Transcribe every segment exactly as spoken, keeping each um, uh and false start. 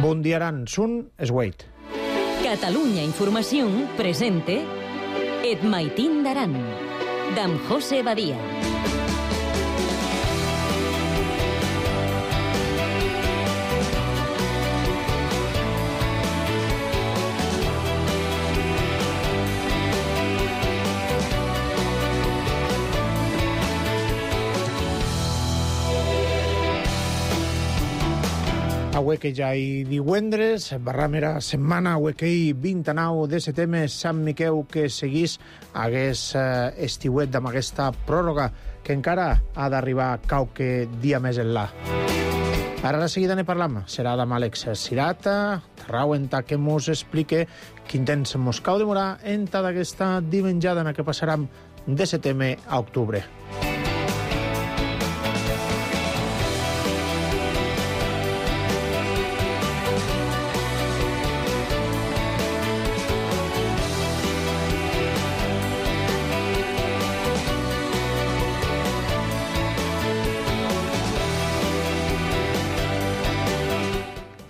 Bundiaran sun esgueit. Catalunya Informació presente Et maitin d'aran, d'en José Badia. Avui que ja hi divendres, barramera setmana, avui que hi vint-i-nou de setembre, Sant Miquel que seguís hagués eh, estiuet amb aquesta pròrroga que encara ha d'arribar qualque dia més enlà. Ara de seguida ne parlam. Serà amb Àlex Sirata, Tarrau, enta que mos explique quin temps mos cau demorar enta d'aquesta dimenjada en què passarem de setembre a octubre.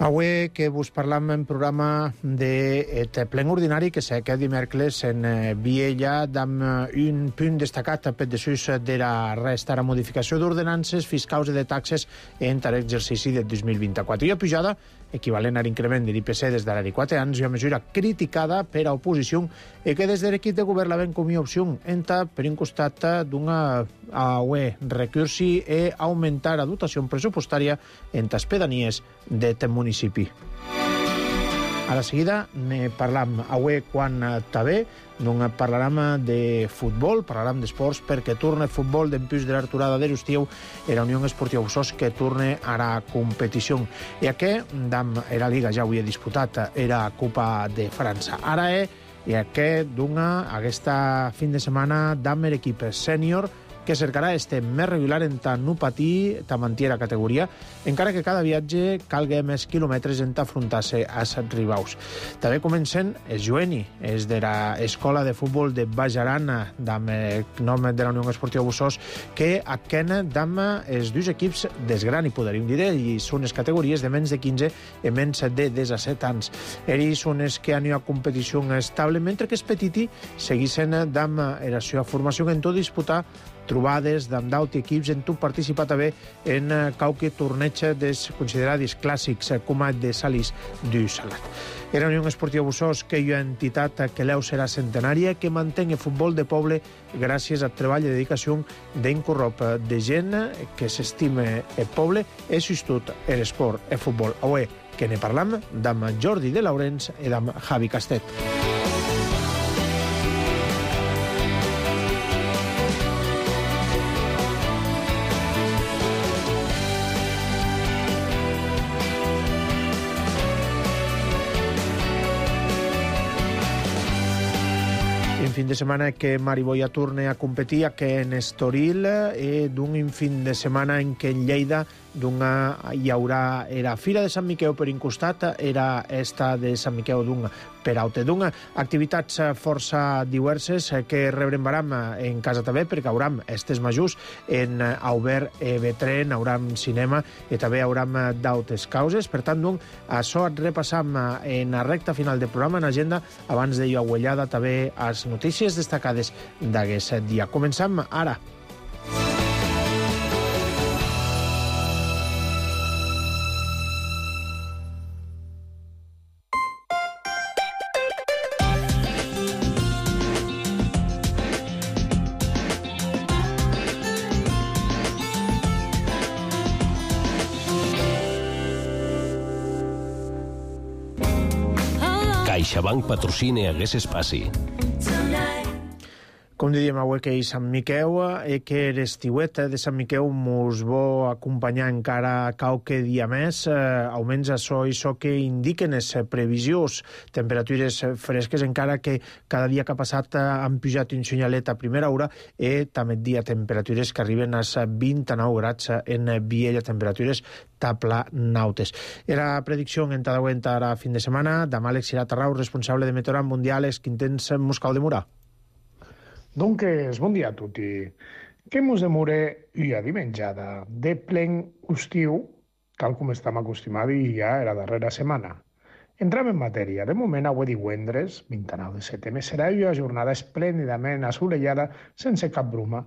Avui que vos parlam en programa de plen ordinari que s'ha dimecres en Viella amb un punt destacat per desús de la resta de la modificació d'ordenances fiscals i de taxes entre l'exercici del dos mil vint-i-quatre. I a pujada equivalent a l'increment de l'I P C des de l'any quatre anys, una mesura criticada per a oposició i que des de l'equip de govern la ven com a opció enta per un costat d'una recursi i augmentar la dotació pressupostària en les pedanies d'aquest municipi. A la seguida ne parlam avui quan també, non parlarem de futbol, parlarem d'esports perquè torna el futbol d'empús de l'arturada de l'estiu e la Unió Esportiva Bussos que torna a la competició. I aquest, dam era Liga ja avui he disputat, era Copa de França. Ara és, i aquest d'una, aquesta fin de setmana, dam l'equip sènior que cercarà este més regular en ta no patir ta mantier la categoria, encara que cada viatge calga més quilòmetres en ta afrontar-se a set ribaus. També comencen el Joeni, és de l'escola de futbol de Baix Aran, amb el nom de la Unió Esportiva Bussos, que aquena dam els dos equips desgran, i podríem dir, i són les categories de menys de quinze i menys de disset anys. Ells són els que han a competició estable, mentre que els petiti seguissin dam la seva formació en tot disputar trobades d'amb d'autres equips en tot participar també en qualque torneig des considerats clàssics com el de Salís du Salat. Era Unió Esportiva Bussos, que hi ha entitat que l'eu serà centenària, que mantén el futbol de poble gràcies al treball i dedicació d'un corrop de gent que s'estima el poble i sostut l'esport, el futbol. Avui que ne parlam d'amb Jordi de Laurens i d'amb Javi Castet. Fin de setmana que Mariboia torna a competir que en Estoril i d'un fin de setmana en què en Lleida d'una hi haurà era Fira de Sant Miquel per un costat, era esta de Sant Miquel d'un per altre. D'una activitats força diverses que rebrembaram en casa també perquè hauram estes majors en Aubert e Betren, hauram cinema i també hauram d'altres causes. Per tant, doncs, això et repassam en la recta final del programa en agenda abans de aguellada també les notícies destacades d'aquest dia. Començam ara. CaixaBank patrocina aquest espai. Com diríem avui que és Sant Miquel i que l'estiuet de Sant Miquel mos vol acompanyar encara qualque dia més, eh, almenys això és això que indiquen les previsions, temperatures fresques, encara que cada dia que ha passat han pujat un senyalet a primera hora i també dia temperatures que arriben als vint-i-nou graus en Viella, temperatures taplanautes. Era predicció en cada aguenta ara fin de setmana d'amb Àlex Sirata, responsable de Meteorologia Mundial, quin temps mos cau demorar? Doncs bon dia a tutti. Que mos demore una dimenjada de plen estiu tal com estem acostumats ja la darrera setmana. Entrem en matèria. De moment, avui divendres, vint-i-nou de setembre, serà una jornada esplèndidament assolellada sense cap bruma.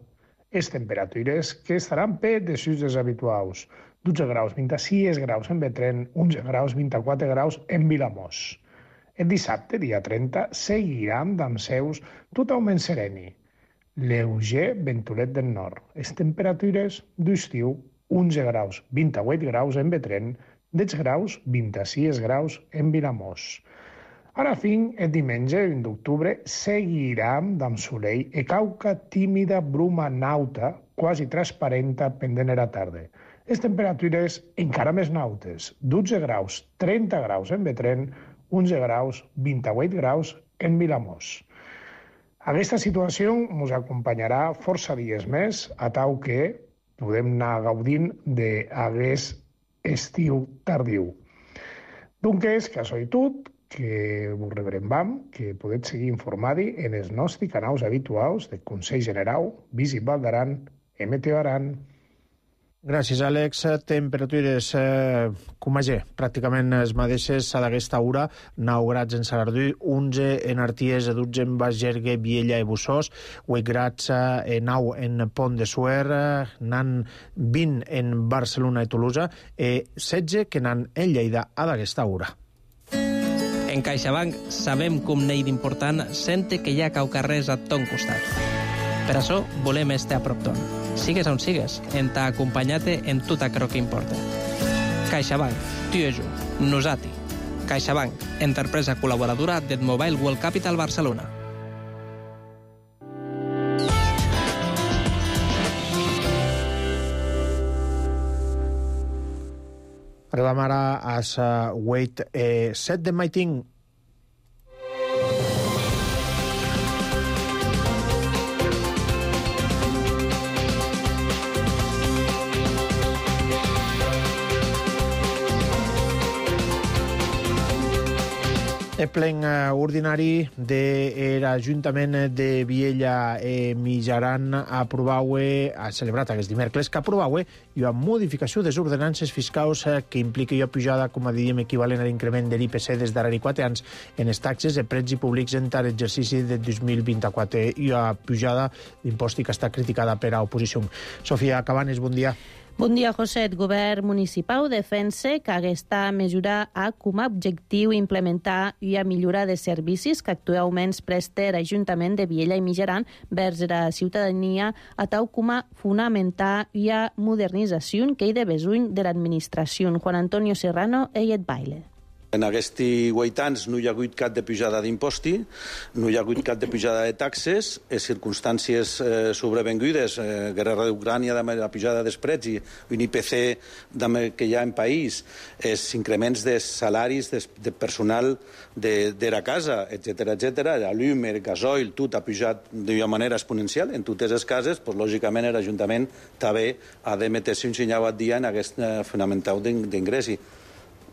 Les temperatures que estaran per desús dels habituals. dotze graus, vint-i-sis graus en Betrén, onze graus, vint-i-quatre graus en Vilamòs. El dissabte, dia trenta, seguiran amb seus totalment sereni. Lleuger ventolet del nord. Les temperatures d'estiu, onze graus, vint-i-vuit graus en Betrén, deu graus, vint-i-sis graus en Vilamòs. Ara fin, el diumenge, vint d'octubre, seguirà amb solell e cauca tímida bruma nauta, quasi transparenta pendent a la tarda. Les temperatures encara més nautes, dotze graus, trenta graus en Betrén, onze graus, vint-i-vuit graus en Vilamòs. Aquesta situació ens acompanyarà força dies més, a tal que podem anar gaudint d'aquest estiu tardiu. Doncs, que això és tot, que us rebrembam, que podeu seguir informats en els nostres canals habituals del Consell General, Visip Val d'Aran, Meteo Aran. Gràcies, Àlex. Temperatures, eh, com a G, pràcticament les mateixes a d'aquesta hora. nou graus en Salardú, onze en Arties, dotze en Baix Gergue, Viella i Bussós, vuit graus, eh, nou en Pont de Suert, n'han vint en Barcelona i Tolosa, i setze que n'han en Lleida a d'aquesta hora. En CaixaBank sabem com n'hi d'important sente que hi ha cau carrers a ton costat. Per això volem estar a prop ton. Sigues on sigues, en t'ha acompanyat en tot aquello que importa. CaixaBank, tu i jo, nosati. CaixaBank, empresa col·laboradora del Mobile World Capital Barcelona. Arribem ara a la Wait eh, set de Maiting. El plen ordinari de l'Ajuntament de Viella i Mitjaran ha celebrat aquest dimecres que aprovat una modificació de les ordenances fiscals que implica una pujada, com a diríem, equivalent a l'increment de l'I P C des darrere quatre anys en les taxes de préns i públics en tant exercici de dos mil vint-i-quatre i una pujada d'impost que està criticada per l'oposició. Sofia Cabanes, bon dia. Bon dia, José. El govern municipal defensa que aquesta mesura ha com a objectiu implementar una millora de servicis que actualment presta l'Ajuntament de Viella i Mitjaran vers la ciutadania, a tal com a fonamentar una modernització que hi de besuny de l'administració. Juan Antonio Serrano i et baile. En aquests vuit anys no hi ha hagut cap de pujada d'imposti, no hi ha hagut cap de pujada de taxes, les circumstàncies eh, sobrevengudes, eh, guerra d'Ucrània, la pujada dels preus i un I P C que hi ha en país, els increments de salaris de, de personal de, de la casa, etcètera, etcètera, la llum, el gasoil, tot ha pujat d'una manera exponencial. En totes les cases, pues, lògicament, l'Ajuntament també ha de metre-se un senyal al dia en aquest eh, fonamental d'ingressi.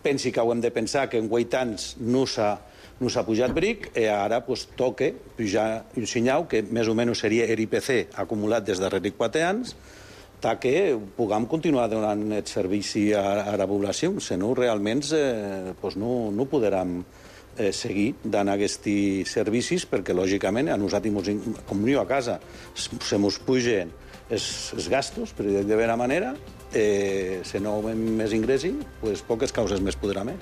Pensi que ho hem de pensar que en vuit anys no s'ha no s'ha pujat bric i ara pues, toca pujar un senyal que més o menys seria l'I P C acumulat des de darrere quatre anys que puguem continuar donant el servici a, a la població, si no realment eh, pues no, no podrem eh, seguir donant aquests servicis perquè lògicament a nosaltres, com jo a casa, se mos pugen els, els gastos, per dir d'alguna manera, Eh, si no hem més ingressi, pues, poques causes més podrem. Eh?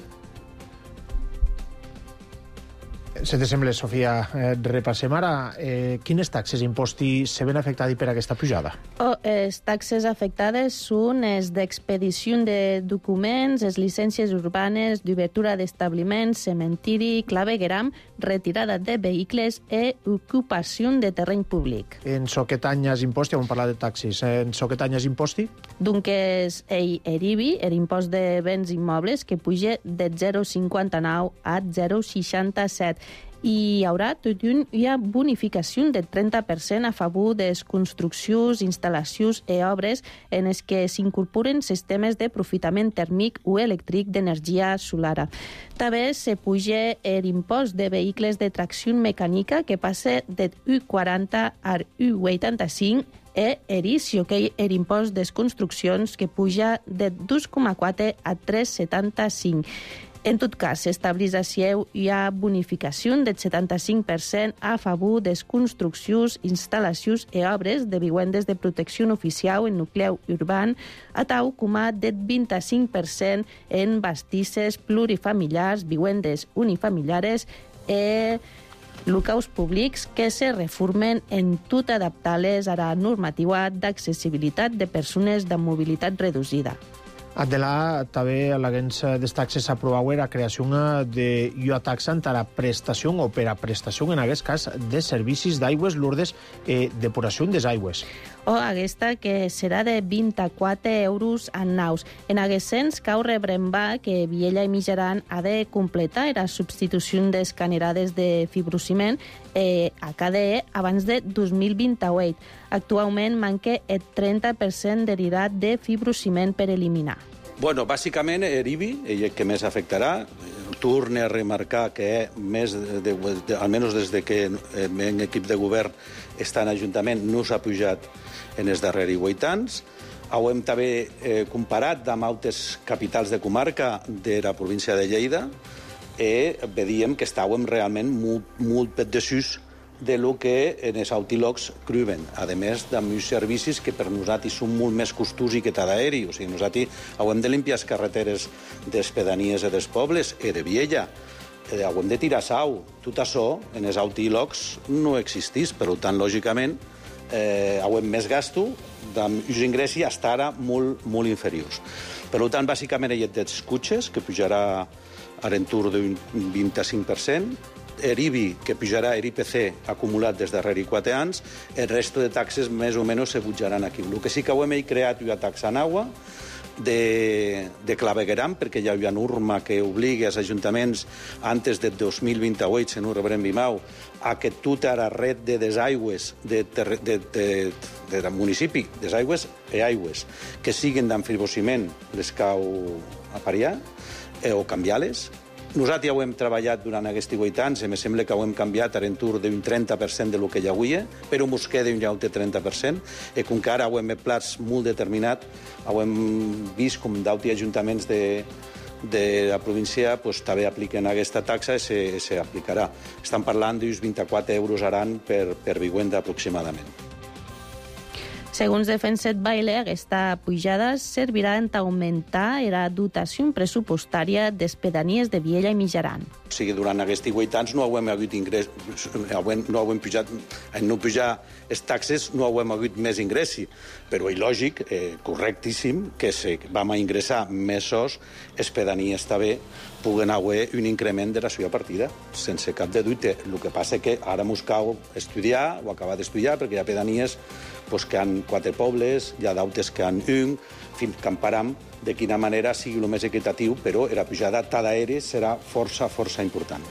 Si te sembla, Sofia, eh, repassem ara eh, quines taxes i impostos se ven afectats per aquesta pujada. Oh, les taxes afectades són les d'expedició de documents, les llicències urbanes, d'obertura d'establiments, cementiri, clavegueram, retirada de vehicles i ocupació de terreny públic. En so que tanyes imposti, hem parlat de taxis, en so que tanyes imposti? Donc és el I B I, l'impost de béns immobles, que puja de zero coma cinquanta-nou a zero coma seixanta-set. I hi haurà tot una bonificació del trenta per cent a favor de les construccions, instal·lacions i obres en les que s'incorporen sistemes d'aprofitament tèrmic o elèctric d'energia solar. També se puja l'impost de vehicles de tracció mecànica que passa de u quaranta a u vuitanta-cinc e ericio, que és l'impost des construccions que puja de dos coma quatre a tres coma setanta-cinc. En tot cas, s'establís així hi ha bonificació del setanta-cinc per cent a favor de construccions, instal·lacions i obres de vivendes de protecció oficial en nucleu urban, a tal com a del vint-i-cinc per cent en bastisses plurifamiliars, vivendes unifamiliares i locals públics que se reformen en tot adaptar-les a la normativa d'accessibilitat de persones de mobilitat reduïda. Adela, també l'agents des taxes aprovau la creació d'una taxa per a prestació o per a prestació, en aquest cas, de servicis d'aigües lourdes i depuració des aigües. O aquesta que serà de vint-i-quatre euros en naus. En aquest sens, cau rebrembar que Viella i Mijaran ha de completar la substitució d'escanerades de fibrociment eh, a K D E abans de dos mil vint-i-vuit. Actualment manca el trenta per cent derivat de fibrociment per eliminar. Bueno, bàsicament, l'I B I, el que més afectarà, torne a remarcar que més de, de, de, almenys des de que en equip de govern està en Ajuntament no s'ha pujat en els darrers vuit anys. Ho hem també eh, comparat amb altres capitals de comarca de la província de Lleida i veiem que estàvem realment molt, molt per desús de lo que en els autilocs cruven, a més amb uns servicis que per nosaltres són molt més costosos que tot aeri. O sigui, nosaltres hem de limpiar les carreteres de les pedanies i dels pobles i de Viella. Hem de tirar sau. Tot això en els autilocs no existís, per tant, lògicament, eh, hem més gasto amb uns ingressos fins ara molt, molt inferiors. Per tant, bàsicament, hi ha dels cotxes, que pujarà a l'entorn d'un vint-i-cinc per cent, l'I B I, que pujarà l'I P C acumulat des darrers quatre anys, el resto de taxes més o menys se pujaran aquí. El que sí que hem creat una taxa en aigua de, de clavegueram, perquè hi ha una norma que obliga els ajuntaments antes del dos mil vint-i-vuit, si no rebrem Bimau, a que tota la red de desaigües de, de, de, de, del municipi, desaigües i aigües, que siguin d'enfibrociment les cau apariar eh, o canviar-les. Nosaltres ja ho hem treballat durant aquests vuit anys i em sembla que ho hem canviat a l'entorn d'un trenta per cent de lo que hi havia, però mos queda un altre trenta per cent, i com que ara ho hem plats molt determinat, ho hem vist com d'altres ajuntaments de, de la província pues, també apliquen aquesta taxa i s'aplicarà. Estan parlant d'uns vint-i-quatre euros aran per, per vivenda aproximadament. Segons Defenset Baile, aquesta pujada servirà en augmentar la dotació pressupostària des pedanies de Viella i Mijaran. O sigui, durant aquests vuit anys no hem hagut ingrés, no hem pujat, en no pujar les taxes no hem hagut més ingressi, però és lògic, eh, correctíssim, que si vam a ingressar més sos, les pedanies també puguen haver un increment de la seva partida, sense cap de dubte. El que passa és que ara mos cal estudiar o acabar d'estudiar, perquè hi ha pedanies pues, que han quatre pobles, hi ha d'altres que han un, fins que emparam de quina manera sigui el més equitatiu, però la pujada tant d'aeri serà força, força important.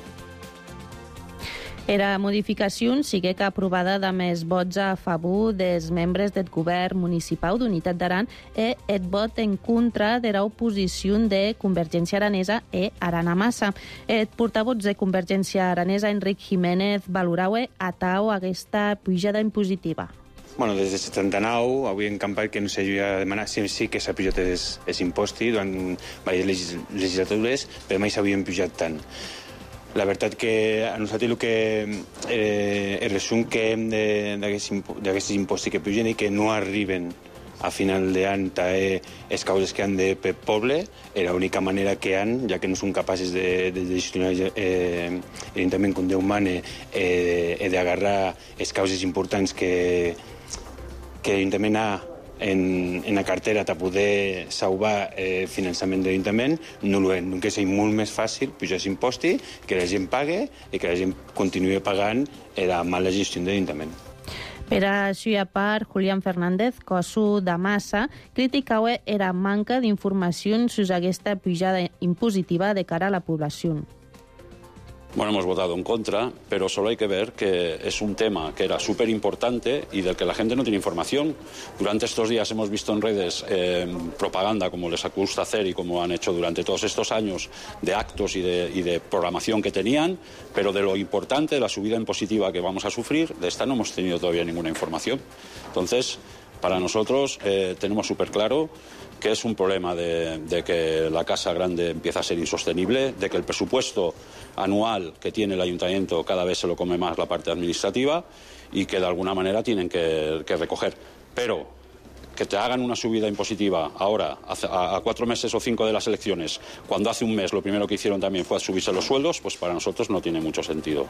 Era modificació sigue que aprovada de més vots a favor dels membres del govern municipal d'Unitat d'Aran i el vot en contra de l'oposició de Convergència Aranesa i Arana Massa. El portavoz de Convergència Aranesa, Enric Jiménez, valoraue a tau aquesta pujada impositiva. Bueno, des de setanta-nou, avui en campany que no s'havia demanat, sí, sí que s'ha pujat els, els impostos durant diverses legislatures, però mai s'havien pujat tant. La veritat que a nosaltres el que eh, el resum que hem d'aquests impostos que pugen i que no arriben a final d'any també les causes que han de per poble, és l'única manera que han, ja que no són capaces de, de gestionar eh, l'Ajuntament com Déu mane, eh, d'agarrar les causes importants que, que l'Ajuntament ha en, en la cartera per poder salvar el eh, finançament de l'Ajuntament, no ho és. Que sigui molt més fàcil pujar els impostos, que la gent pague i que la gent continuï pagant la mala gestió de l'Ajuntament. Per això, a part, Julián Fernández, cosu de Massa, criticava la manca d'informació sobre aquesta pujada impositiva de cara a la població. Bueno, hemos votado en contra, pero solo hay que ver que es un tema que era súper importante y del que la gente no tiene información. Durante estos días hemos visto en redes eh, propaganda, como les gusta hacer y como han hecho durante todos estos años, de actos y de, y de programación que tenían, pero de lo importante, de la subida impositiva que vamos a sufrir, de esta no hemos tenido todavía ninguna información. Entonces, para nosotros eh, tenemos súper claro que es un problema de, de que la casa grande empieza a ser insostenible, de que el presupuesto anual que tiene el ayuntamiento cada vez se lo come más la parte administrativa y que de alguna manera tienen que, que recoger. Pero que te hagan una subida impositiva ahora, a, a cuatro meses o cinco de las elecciones, cuando hace un mes lo primero que hicieron también fue subirse los sueldos, pues para nosotros no tiene mucho sentido.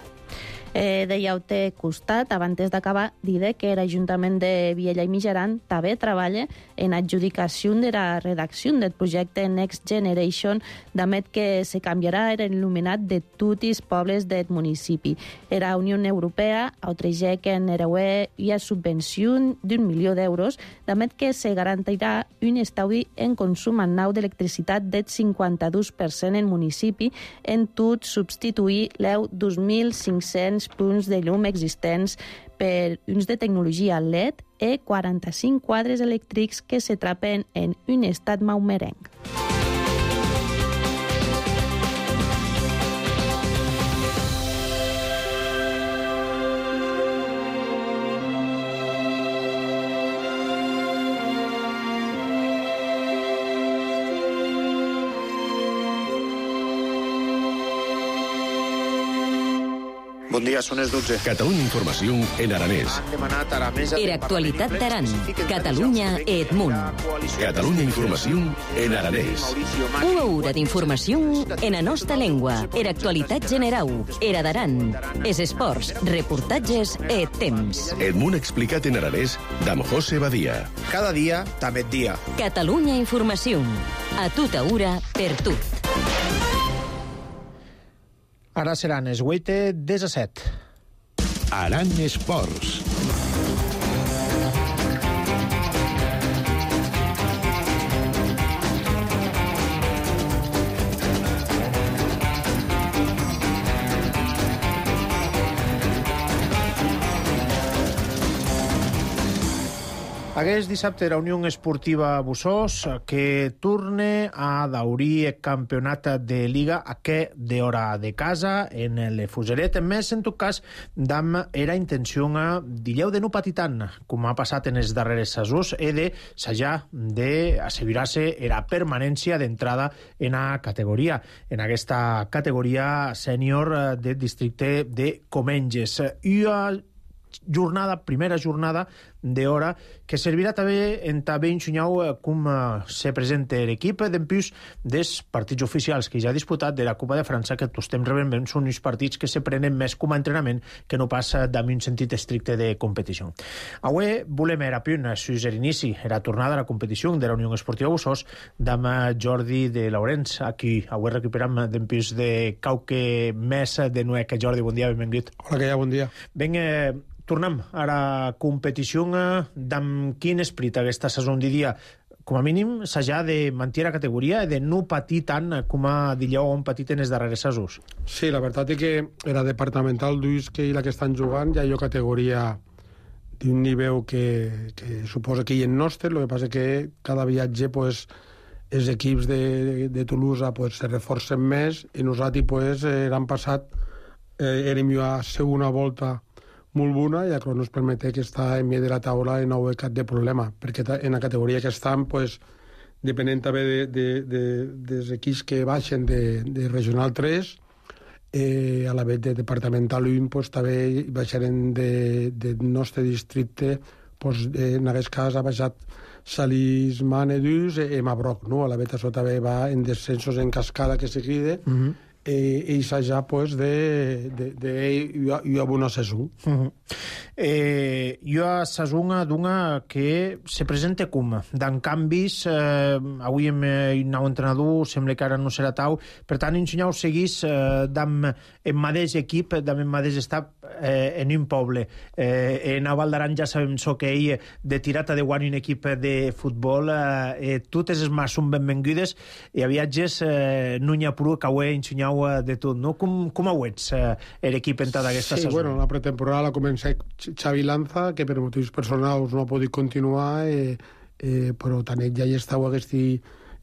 Eh, dèieu, té costat, abans d'acabar, diré que l'Ajuntament de Viella i Mijaran també treballa en adjudicació de la redacció del projecte Next Generation, d'amet que se canviarà l'il·luminat de tots els pobles del municipi. La Unió Europea autoritza que en Ereué hi ha subvenció d'un milió d'euros, d'amet que se garantirà un estalvi en consum nou d'electricitat del cinquanta-dos per cent en municipi, en tot substituir l'eu dos mil cinc-cents punts de llum existents per uns de tecnologia L E D i quaranta-cinc quadres elèctrics que se trapen en un estat maumerenc. Bon dia, són les dotze. Catalunya Informació en aranès. Era actualitat d'Aran. Catalunya et Munt. Catalunya Informació en aranès. Una hora d'informació en la nostra llengua. Era actualitat generau. Era d'Aran. Es esports, reportatges et temps. Et Munt explicat en aranès d'Am José Badia. Cada dia, també dia. Catalunya Informació. A tota hora, per tot. Ara seran les vuit disset. Aran Esports. Aquest dissabte la Unió Esportiva Bussós que torna a daurir el campionat de Liga aquest d'hora de casa en el Fuseret. Més, en tot cas, dam era intenció d'illeu de no patir tant, com ha passat en els darrers mesos, i de s'haja d'assegurar-se la permanència d'entrada en la categoria, en aquesta categoria sènior del districte de Comenges. I jornada, primera jornada d'hora, que servirà també en també ensenyau com se presenta l'equip d'empús dels partits oficials que ja ha disputat de la Copa de França, que tots temps realment són uns partits que se prenen més com a entrenament que no passa d'en un sentit estricte de competició. Avui volem era punt sus l'inici, la tornada a la competició de la Unió Esportiva Bussós d'am Jordi de Laurenç, a qui avui recuperam d'empús de quauque més de Nuec. Jordi, bon dia, benvingut. Hola, que ja, bon dia. Ben, eh, tornem a la competició d'amb quin esperit aquesta saison diria. Com a mínim s'ha de mantenir la categoria i de no patir tant com a dieu on patit en els darrers mesos. Sí, la veritat és que era departamental d'Uis que i la que estan jugant ja hi ha categoria d'un nivell que, que suposa que hi en nostre. El que passa que cada viatge pues, els equips de, de Toulouse pues, se reforcen més i nosaltres pues, l'any passat eh, érem a segona volta molt bona i això ens permet que està en mig de la taula i no hi ha cap de problema, perquè en la categoria que estan, pues, depenent també de, de, de, dels equips que baixen de, de Regional tres, eh, a la vegada de Departamental un, pues, també baixarem de, de nostre districte, pues, en aquest cas ha baixat Salís Manedús i Mabroc, no? A la vegada això també va en descensos en cascada que seguida, mm-hmm. i s'ha pues, de, de, de, de hi ha bona saison. Uh-huh. Eh, hi ha saison d'una que se presenta com d'en canvis, eh, avui amb un nou entrenador sembla que ara no serà tau, per tant ensenyau seguís eh, d'en mateix equip, d'en mateix estat eh, en un poble. Eh, en Val d'Aran ja sabem so que ell de tirata de guany un equip de futbol, eh, totes les mas són benvingudes i a viatges eh, no n'hi ha prou que ho he ensenyat nau de tot, no? Com, com ho ets, eh, l'equip en tota aquesta sí, saison? Bueno, la pretemporada la comença Xavi Lanza, que per motius personals no ha pogut continuar, eh, eh, però tant ell ja hi estava aquest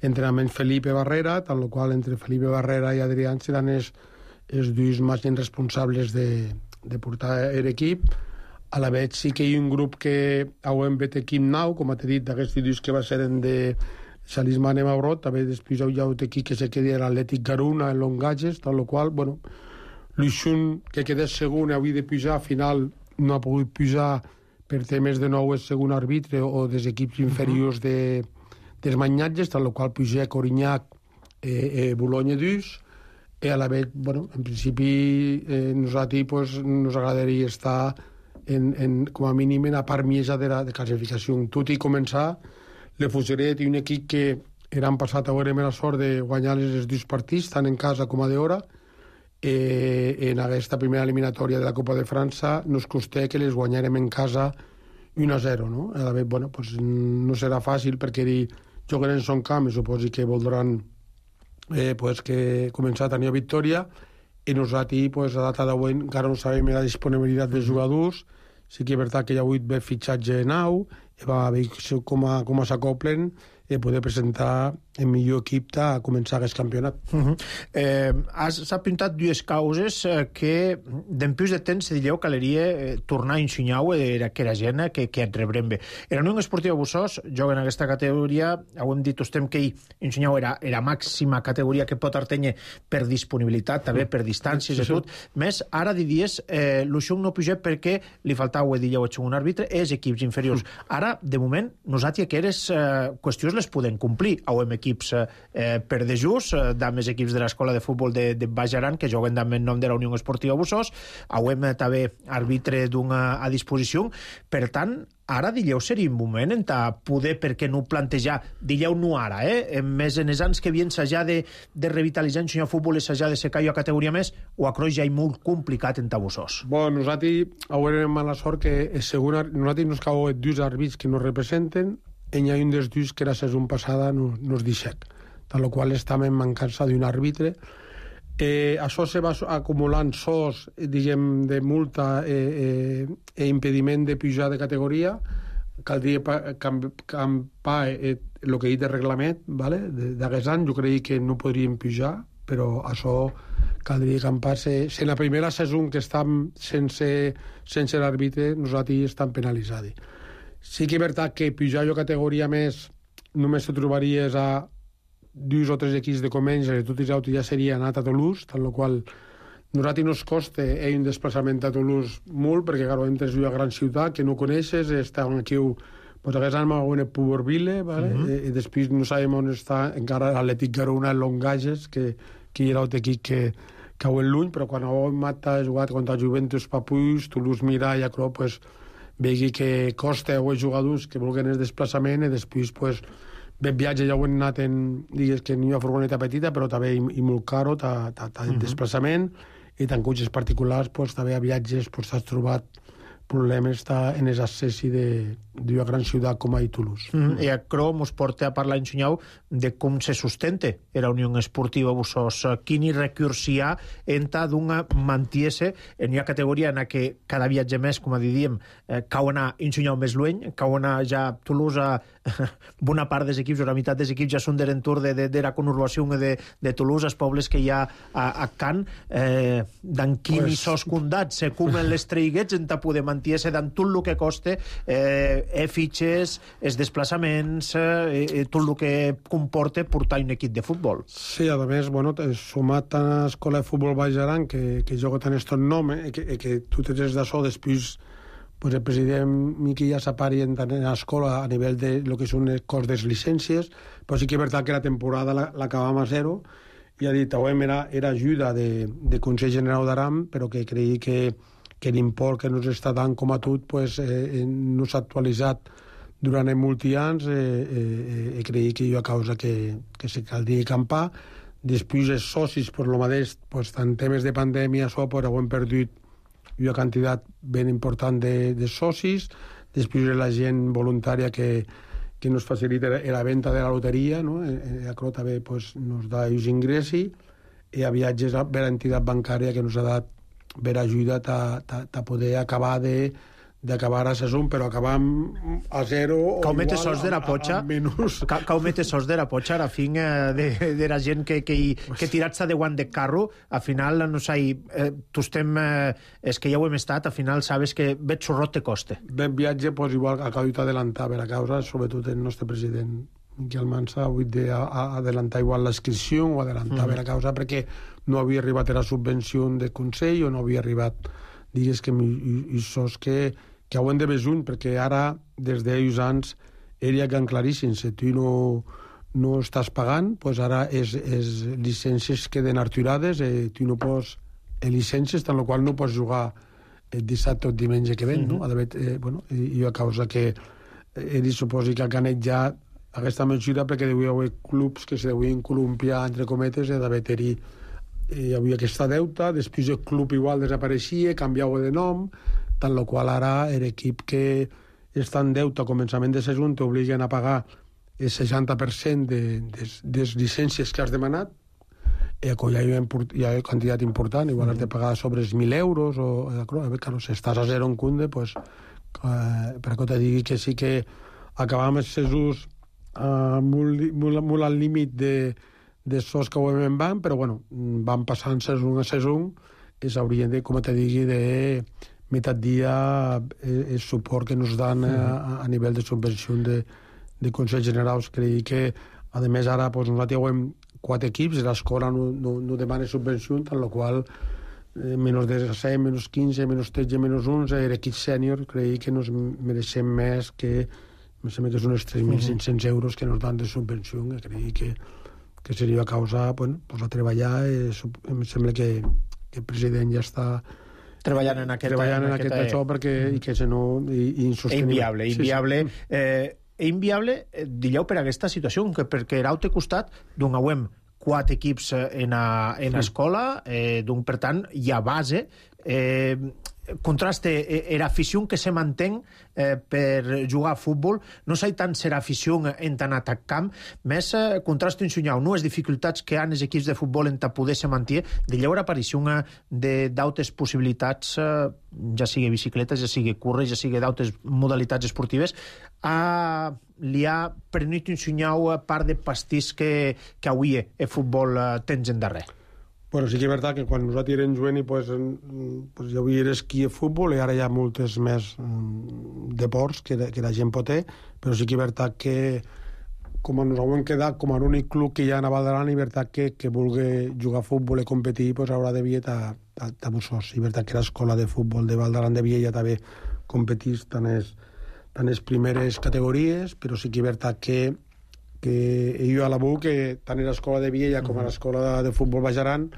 entrenament Felipe Barrera, tant el qual entre Felipe Barrera i Adrián seran els, els dos màxims responsables de, de portar l'equip. A la vegada sí que hi ha un grup que hem fet equip nou, com t'he dit, d'aquests dos que va ser de Salisman i Mabrot, també després hi ha un equip que se quedi a l'Atlètic Garuna, en Longatges, tal qual, bueno, l'Uixun, que queda segon, havia de pujar, al final no ha pogut pujar per temes de nou el segon arbitre o dels equips inferiors de, dels Manyatges, tal qual puja Corinyac, eh, eh, Boulogne dos, i a la vegada, bueno, en principi, eh, nosaltres pues, nos agradaria estar en, en, com a mínim en la part mitja de la de classificació. Tot i començar, le Fusiret i un equip que eren passat a veure la sort de guanyar els dos partits, tant en casa com a d'hora, eh, en aquesta primera eliminatòria de la Copa de França nos costé que les guanyarem en casa u a zero, no? A veure, bueno, pues no serà fàcil perquè juguen en son camp i suposi que voldran eh, pues que començar a tenir victòria, i nosaltres, pues, a data d'avui encara no sabem la disponibilitat dels jugadors. Sí que és veritat que hi ha hagut bé fitxatge nou, i va a veure com, a, com s'acoplen i poder presentar el millor equip a començar aquest campionat. Uh -huh. eh, S'ha pintat dues causes eh, que d'empús de temps se dieu que caleria eh, tornar a ensenyar era que era gent que, que et rebrem bé. Era Unió Esportiva Bussós, joga en aquesta categoria, ho hem dit estem que ensenyau era la màxima categoria que pot artenye per disponibilitat, també per distàncies sí, sí. i tot. Més, ara diries, eh, l'Uixun no puja perquè li faltava, dieu, un àrbitre, és equips inferiors. Ara, de moment, nosaltres que eres eh, qüestions les podem complir. Hauem equips eh, per de just, eh, dames equips de l'escola de futbol de, de Baix Aran, que juguen també en nom de la Unió Esportiva Bussós. Hauem eh, també àrbitre d'una a disposició. Per tant, ara, dilleu, seria un moment en poder, per què no plantejar, dilleu no ara, eh? més en els anys que havien s'haja de, de revitalitzar en futbol i s'haja de secar a categoria més, o a Croix ja és molt complicat en Bussós. Bueno, nosaltres haurem mala sort que segon, nosaltres nos cau dos àrbits que nos representen, i hi ha un dels dos que la saison passada nos, nos deixec, tal qual estem en mancança d'un àrbitre. Eh, això se va acumulant sos, diguem, de multa eh, eh, e impediment de pujar de categoria. Caldria campar el eh, que hi de reglament, vale? D'aquest any jo crec que no podríem pujar, però això caldria campar-se. Si en la primera saison que estem sense, sense l'àrbitre, nosaltres estem penalitzats. Sí que és veritat que pujar jo categoria més només te trobaries a dos o tres equips de Comenge, i tots els altres ja seria anat a Toulouse, tal qual nosaltres nos costa eh, un desplaçament a Toulouse molt, perquè clar, entres a una gran ciutat que no coneixes, està aquí, pues, aquest any m'ha a Puberville, vale? Uh -huh. I, i després no sabem on està encara l'Atlètic Garona, en Longatges, que, que era un equip que cau en l'uny, però quan ho hem matat, jugat contra Juventus Papuix, Toulouse Mira i Acro, pues, vegi que costa a els jugadors que vulguin el desplaçament, i després, pues, bé, viatge ja ho hem anat en, digues que n'hi ha furgoneta petita, però també i, i molt caro, t'ha uh-huh. desplaçament, i tant cotxes particulars, pues, també a viatges pues, t'has trobat problemes en els accessi d'una gran ciutat com a Toulouse. Mm -hmm. I a Cro mos porta a parlar, ensenyau, de com se sustente la Unió Esportiva Bussós. Quin recurs hi ha enta d'una mantiese en una categoria en la que cada viatge més, com a diríem, eh, cau anar ensenyau més lueny, cau anar ja a Toulouse a bona part dels equips, o la meitat dels equips ja són de l'entorn de, de, de la conurbació de, de Toulouse, els pobles que hi ha a, a Can, eh, d'en quin pues... i sos condats se cumen les treiguets enta poder mantiese d'en tot el que costa eh, eh, fitxes, els desplaçaments, eh, tot el que comporta portar un equip de futbol. Sí, a més, bueno, sumat a l'escola de futbol Baix Aran, que, que joga tant estos nom, eh, que, que tu tens d'això, després pues, el president Miqui ja s'apari en l'escola a nivell de lo que són els cost de les llicències, però sí que és veritat que la temporada l'acabam a zero, i ha dit, era, era ajuda de, de Consell General d'Aram, però que creia que que l'import que no s'està dant com a tot pues, eh, no s'ha actualitzat durant molts anys, eh, eh, eh, creia que hi ha causa que, que se caldria campar. Després els socis, per lo mateix, pues, en temes de pandèmia, això, pues, ho hem perdut una quantitat ben important de, de socis. Després la gent voluntària que, que nos facilita la venda de la loteria, no? Eh, eh, també pues, nos da els ingressos. hi ha viatges per l'entitat bancària que ens ha dat per ajuda a poder acabar de d'acabar a saison, però acabar a zero o igual sos de la potxa, a, a menys. Caumete sos de la potxa, a la fin eh, de, de la gent que, que, que tirats de guant de carro, al final, no sé, eh, tu estem, eh, és que ja ho hem estat, al final sabes que bet xorrot te coste. Ben viatge, pues, igual acabo d'adelantar per a causa, sobretot el nostre president Miquel Mansa, ha hagut d'adelantar igual l'inscripció o adelantar mm. per a causa perquè no havia arribat a la subvenció de Consell o no havia arribat, digues que i, i sos que que ho hem de besuny, perquè ara, des d'ells anys, era gan claríssim. Si tu no, no estàs pagant, pues ara és, és llicències queden arturades, eh, tu no pots... Eh, llicències, tant la qual no pots jugar el dissabte o el diumenge que ven, mm-hmm. no? D'haver, eh, bueno, i a causa que ells suposi que han ganat ja aquesta mesura perquè devia haver clubs que se devien columpiar, entre cometes, eh, d'haver-hi hi havia aquesta deuta, després el club igual desapareixia, canviava de nom, tant la qual ara l'equip que està en deute a començament de saison t'obliguen a pagar el seixanta per cent de, de, de les llicències que has demanat, i ja hi ha, hi ha quantitat important, igual mm. has de pagar sobre els mil euros, o, claro, si estàs a zero en Cunde, pues, eh, per que te digui que sí que acabam els sesús eh, molt, molt, molt al límit de, de sos que ho hem van, però bueno, van passant saison a saison i s'haurien de, com te digui, de meitat dia el suport que ens dan a, a nivell de subvenció de, de Consells Generals. Crec que, a més, ara pues, nosaltres hem quatre equips, l'escola no, no, no demana subvenció, tant la qual eh, menys disset, menys quinze, menys tretze, menys onze, l'equip sènior, crec que ens mereixem més que, em sembla que són uns tres mil cinc-cents euros que ens dan de subvenció, que crec que, que seria a causa, bueno, pues, a treballar, eh, em sembla que, que el president ja està treballant en aquest, treballant en, en aquest això perquè mm. i que si no i, i insostenible. Inviable, inviable. Sí, sí. Eh, inviable, eh, dilleu per aquesta situació, que perquè era al costat d'un auem quatre equips en a, en a escola, eh, d'un, per tant, hi ha base, eh, contraste era afició que se mantén eh, per jugar a futbol, no sé tant ser afició en tant atac camp, més eh, contraste un sunyau, no les dificultats que han els equips de futbol en ta poder se manté, de lleure aparició d'autes possibilitats, eh, ja sigui bicicletes, ja sigui curres, ja sigui d'autes modalitats esportives, a li ha prenut un sunyau part de pastís que, que avui el futbol eh, tens en darrer. Bueno, sí que és veritat que quan nosaltres érem jovents pues, pues, ja havia esquí i futbol i ara hi ha moltes més um, deports que, que la gent pot ter, però sí que és veritat que com ens hem quedat com a l'únic club que hi ha a Val d'Aran, és veritat que, que vulgui jugar a futbol i competir pues, haurà de viet a, a, a Bussós. És veritat que l'escola de futbol de Val d'Aran de Viella també competís tant les, tant les primeres categories, però sí que és veritat que que jo a la B U, que tant a l'escola de Viella com a l'escola de, de futbol Baix Aran,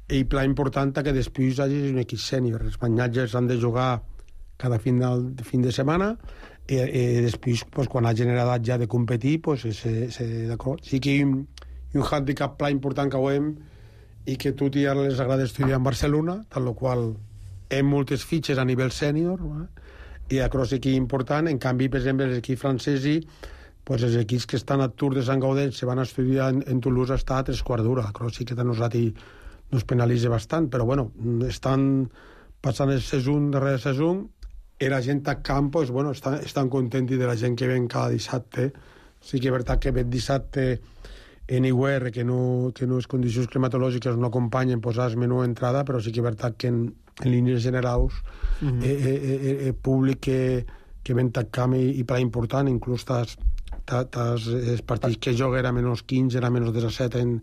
i pla important que després hi hagi un equip sènior. Els banyatges han de jugar cada fin de, fin de setmana i, i després, pues, quan hagin edat ja de competir, pues, se, se, d'acord. Sí que hi ha un, un handicap pla important que ho hem i que tu ja les agrada estudiar en Barcelona, tant la qual hem moltes fitxes a nivell sènior, eh? I això sí que és important. En canvi, per exemple, els equips francesos, pues els equips que estan a Tour de Sant Gaudens se van a estudiar en, en Toulouse està a tres quarts d'hora. Però sí que a nosaltres nos penalitza bastant, però bueno, estan passant el saison darrere saison i la gent a camp, pues, bueno, estan, estan contents de la gent que ven cada dissabte. Sí que és veritat que ve dissabte en I U R, que no, que no les condicions climatològiques no acompanyen posar el menú d'entrada, però sí que és veritat que en, en línies generals mm-hmm. eh, eh, eh, eh, públic que, que ven a camp i, i per important, inclús tas els partits que joga era menys quinze, era menys disset en,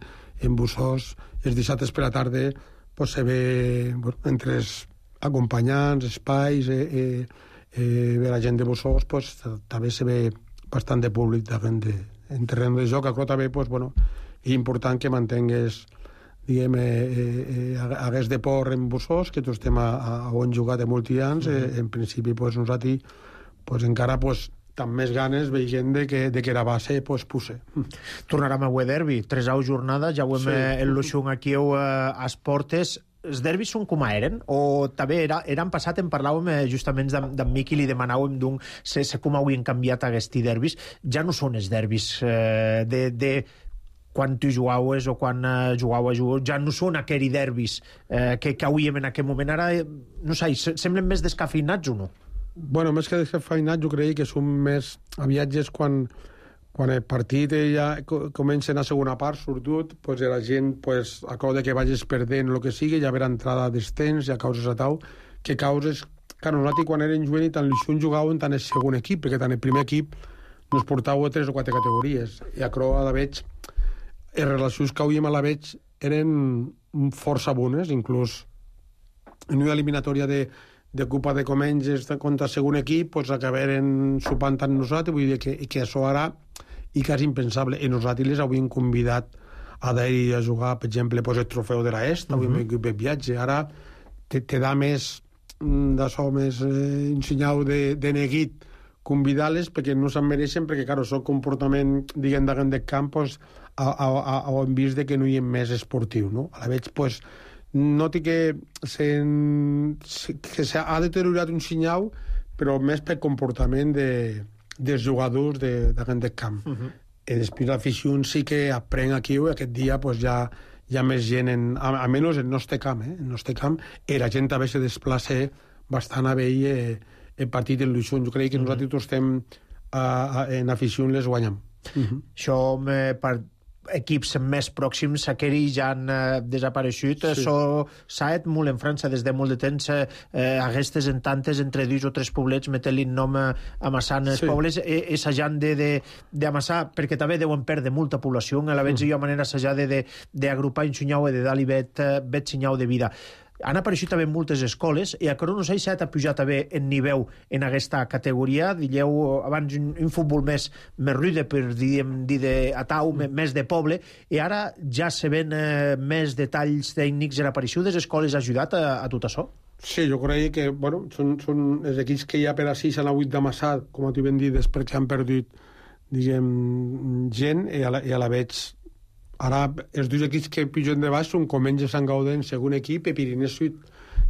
en Bussós, els dissabtes per la tarda pues, se ve bueno, entre els acompanyants, espais, eh, eh, eh, la gent de Bussós, pues, també se ve bastant de públic de, de, en terreny de joc. Però també pues, bueno, és important que mantengues diguem, eh, eh, hagués de por en Bussós, que tots estem a, a, a on jugat de molts anys, eh, en principi pues, nosaltres pues, encara pues, amb més ganes veient de que, de que era base pues, puse. Tornarem a avui derbi, tres au jornades, ja ho hem sí. el luxung aquí a les portes. Els derbis són com eren? O també era, eren passat, en parlàvem justament d'en Miqui, li demanàvem d'un, se, se com avui han canviat aquests derbis, ja no són els derbis eh, de, de quan tu jugaves o quan uh, jugau a jugar, ja no són aquells derbis uh, que cauíem en aquell moment. Ara, no sé, semblen més descafeinats o no? Bueno, més que descafeinats, jo crec que són més aviatges quan, quan el partit ja comença a segona part, sobretot, pues, la gent, pues, a causa que vagis perdent el que sigui, ja haver entrada d'estens, ja causes a tau, que causes... Clar, nosaltres quan érem juvenils tant l'Ixun jugàvem tant el segon equip, perquè tant el primer equip nos portava a tres o quatre categories. I a Croa, a la veig, les relacions que hauríem a la veig eren força bones, inclús en una eliminatòria de, de Copa de Comenges contra el segon equip, pues, acabaren sopant tant nosaltres, vull dir que, que això ara i quasi impensable. I nosaltres les havíem convidat a d'anar a jugar, per exemple, pues, el trofeu de l'Est, uh -huh. havíem equip de viatge. Ara te, te da més d'això, més eh, ensenyau de, de neguit convidar-les perquè no se'n mereixen, perquè, clar, el comportament, diguem, d'agent de camp, pues, a, a, a, a, hem vist que no hi ha més esportiu, no? A la veig, pues, noti que, se, que s'ha deteriorat un senyal, però més per comportament de, dels jugadors d'agent de camp. Uh -huh. I després l'afició sí que aprèn aquí, i aquest dia pues, ja hi ha més gent, en, a, almenys en nostre camp, eh? En nostre camp, i la gent també se desplaça bastant a veure eh, el partit en l'Uixun. Jo crec que uh -huh. nosaltres estem a, a, en afició les guanyem. Uh -huh. Això eh, per equips més pròxims, aquells ja han eh, desapareixut. Sí. Això s'ha fet molt en França des de molt de temps. Eh, aquestes en tantes, entre dos o tres poblets, metent-li nom eh, amassant els sí. pobles, eh, assajant d'amassar, perquè també deuen perdre molta població. A la vegada hi ha manera assajar d'agrupar un xunyau i de dar-li vet, vet xunyau de vida. Han apareixut també moltes escoles i a Corona no sé si ha pujat també en nivell en aquesta categoria. Dilleu abans un, un futbol més, més rude, per dir, dir de atau, mm. més de poble, i ara ja se ven eh, més detalls tècnics. En aparició des escoles ha ajudat a, a tot això? Sí, jo crec que bueno, són, són els equips que ja per a sis han hagut d'amassar, com t'hi ben dit, perquè han perdut diguem, gent, i a la, i a la veig. Ara, els dos equips que pugen de baix són Comenges, Sant Gaudent, segon equip, i Pirinès Sud,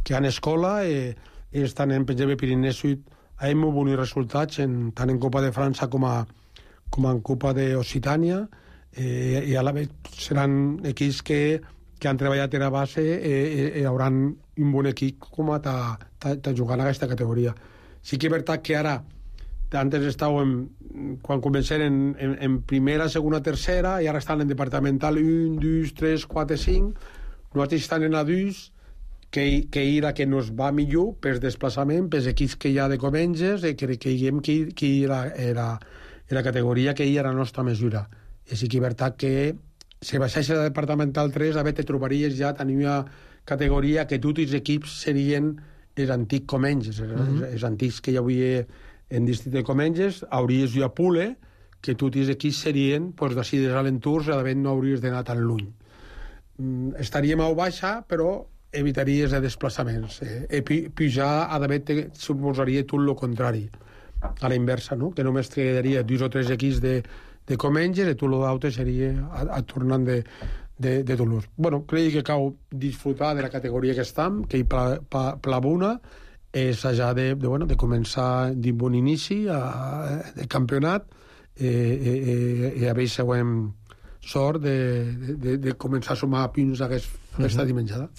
que han escola, i, i estan en, per exemple, Pirinès Sud, ha molt bons resultats, en, tant en Copa de França com, a, com en Copa d'Occitània, eh, i a la vegada seran equips que, que han treballat a la base i, i, i hauran un bon equip com a ta, ta, ta jugar en aquesta categoria. Sí que és veritat que ara antes estàvem, quan comencem en, en, en primera, segona, tercera, i ara estan en departamental un, dos, tres, quatre, cinc. Nosaltres estan en a dos, que, que era que nos va millor per desplaçament, pels equips que hi ha de Comenges, i que creiem que, que era, era, era la categoria que hi era la nostra mesura. I sí que és veritat que si baixés a la departamental tres, a veure, te trobaries ja, tenia categoria que tots els equips serien els antics Comenges, els, mm-hmm. els antics que hi havia en districte de Comenges, hauries jo a Pule, que tots els equips serien pues, d'ací dels alenturs, a d'haver no hauries d'anar tan lluny. Mm, estaríem a baixa, però evitaries de desplaçaments. Eh? I pujar a d'haver suposaria tot el contrari, a la inversa, no? Que només quedaria dos o tres equips de, de Comenges i tot l'altre seria a, a tornant de, de, de Toulouse. Bueno, crec que cal disfrutar de la categoria que estem, que hi pla, pla, plavuna, és ja de, de, bueno, de començar d'un bon inici a, de campionat i, i, i a veure següent sort de, de, de començar a sumar punts aquesta uh-huh. dimensionada.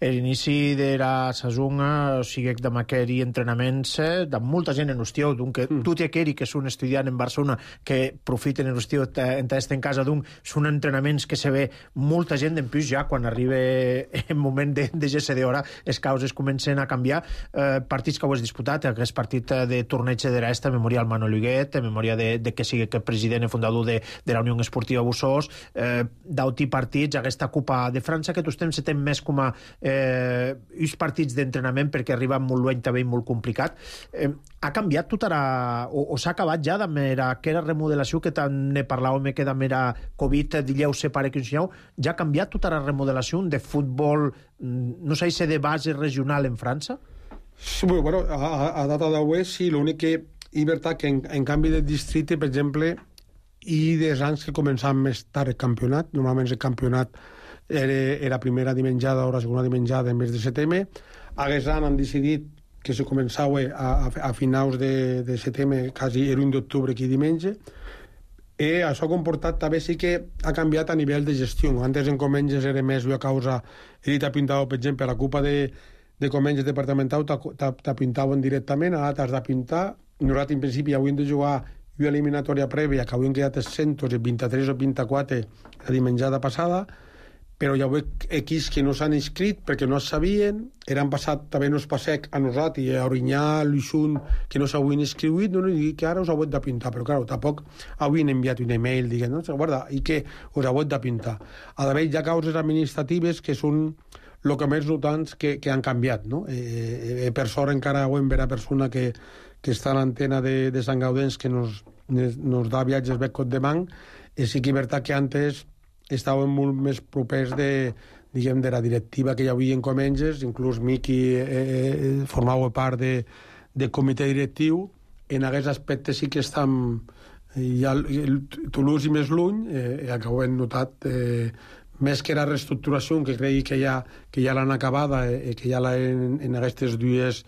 L'inici de la saison, o sigui, de maqueri entrenaments, de molta gent en hostió, d'un que mm. tot i aquells que són estudiants en Barcelona, que profiten en hostió, en estar en casa d'un, són entrenaments que se ve molta gent en plus ja quan arriba el moment de, de G C D hora, les causes comencen a canviar. Eh, partits que ho has disputat, aquest partit de torneig de l'Est, en memòria al Manol Huguet, en memòria de, de que sigui que president i fundador de, de la Unió Esportiva Bussós, eh, d'auti partits, aquesta Copa de França, que tots temps se tem més com a eh, uns partits d'entrenament perquè arriba molt lluny també i molt complicat. Eh, ha canviat tot ara, o, o s'ha acabat ja amb aquella remodelació que tant ne parlàvem que amb era Covid, dilleu se pare que ensenyeu, ja ha canviat tota la remodelació de futbol, no sé si de base regional en França? Sí, bueno, a, a data d'avui sí, l'únic que és veritat que en, en canvi de districte, per exemple, i des anys que començàvem més tard el campionat, normalment el campionat era, era primera dimenjada o la segona dimenjada en mes de setembre. Aquest any han decidit que se començava a, a, a finals de, de setembre, quasi era un d'octubre aquí diumenge. Eh, això ha comportat també sí que ha canviat a nivell de gestió. Antes en Comenges era més a causa, he dit, ha pintat, per exemple, la Copa de, de Comenges departamental t'ha pintaven directament, ara t'has de pintar. Nosaltres, en principi, hauríem de jugar una eliminatòria prèvia, que haurien quedat cent vint-i-tres o vint-i-quatre la dimenjada passada, però hi ha equips que no s'han inscrit perquè no es sabien, eren passat també no es passec a nosaltres, i a Orinyà, a l'Uixun, que no s'havien inscriut, no, i que ara us heu de pintar, però clar, tampoc havien enviat un email dient, no, guarda, i que us heu de pintar. A més, hi ha causes administratives que són el que més notants que, que han canviat, no? Eh, eh, per sort encara ho hem veure persona que, que està a l'antena de, de Sant Gaudens que nos, nos da viatges bé cot de banc, i sí que és veritat que antes estaven molt més propers de, diguem, de la directiva que hi havia en Comenges, inclús Miqui eh, eh, formava part de, de comitè directiu. En aquests aspectes sí que estem ja, Toulouse i més lluny, eh, que ho hem notat, eh, més que la reestructuració, que crec que ja, que ja l'han acabada, eh, que ja l'han en, en aquestes dues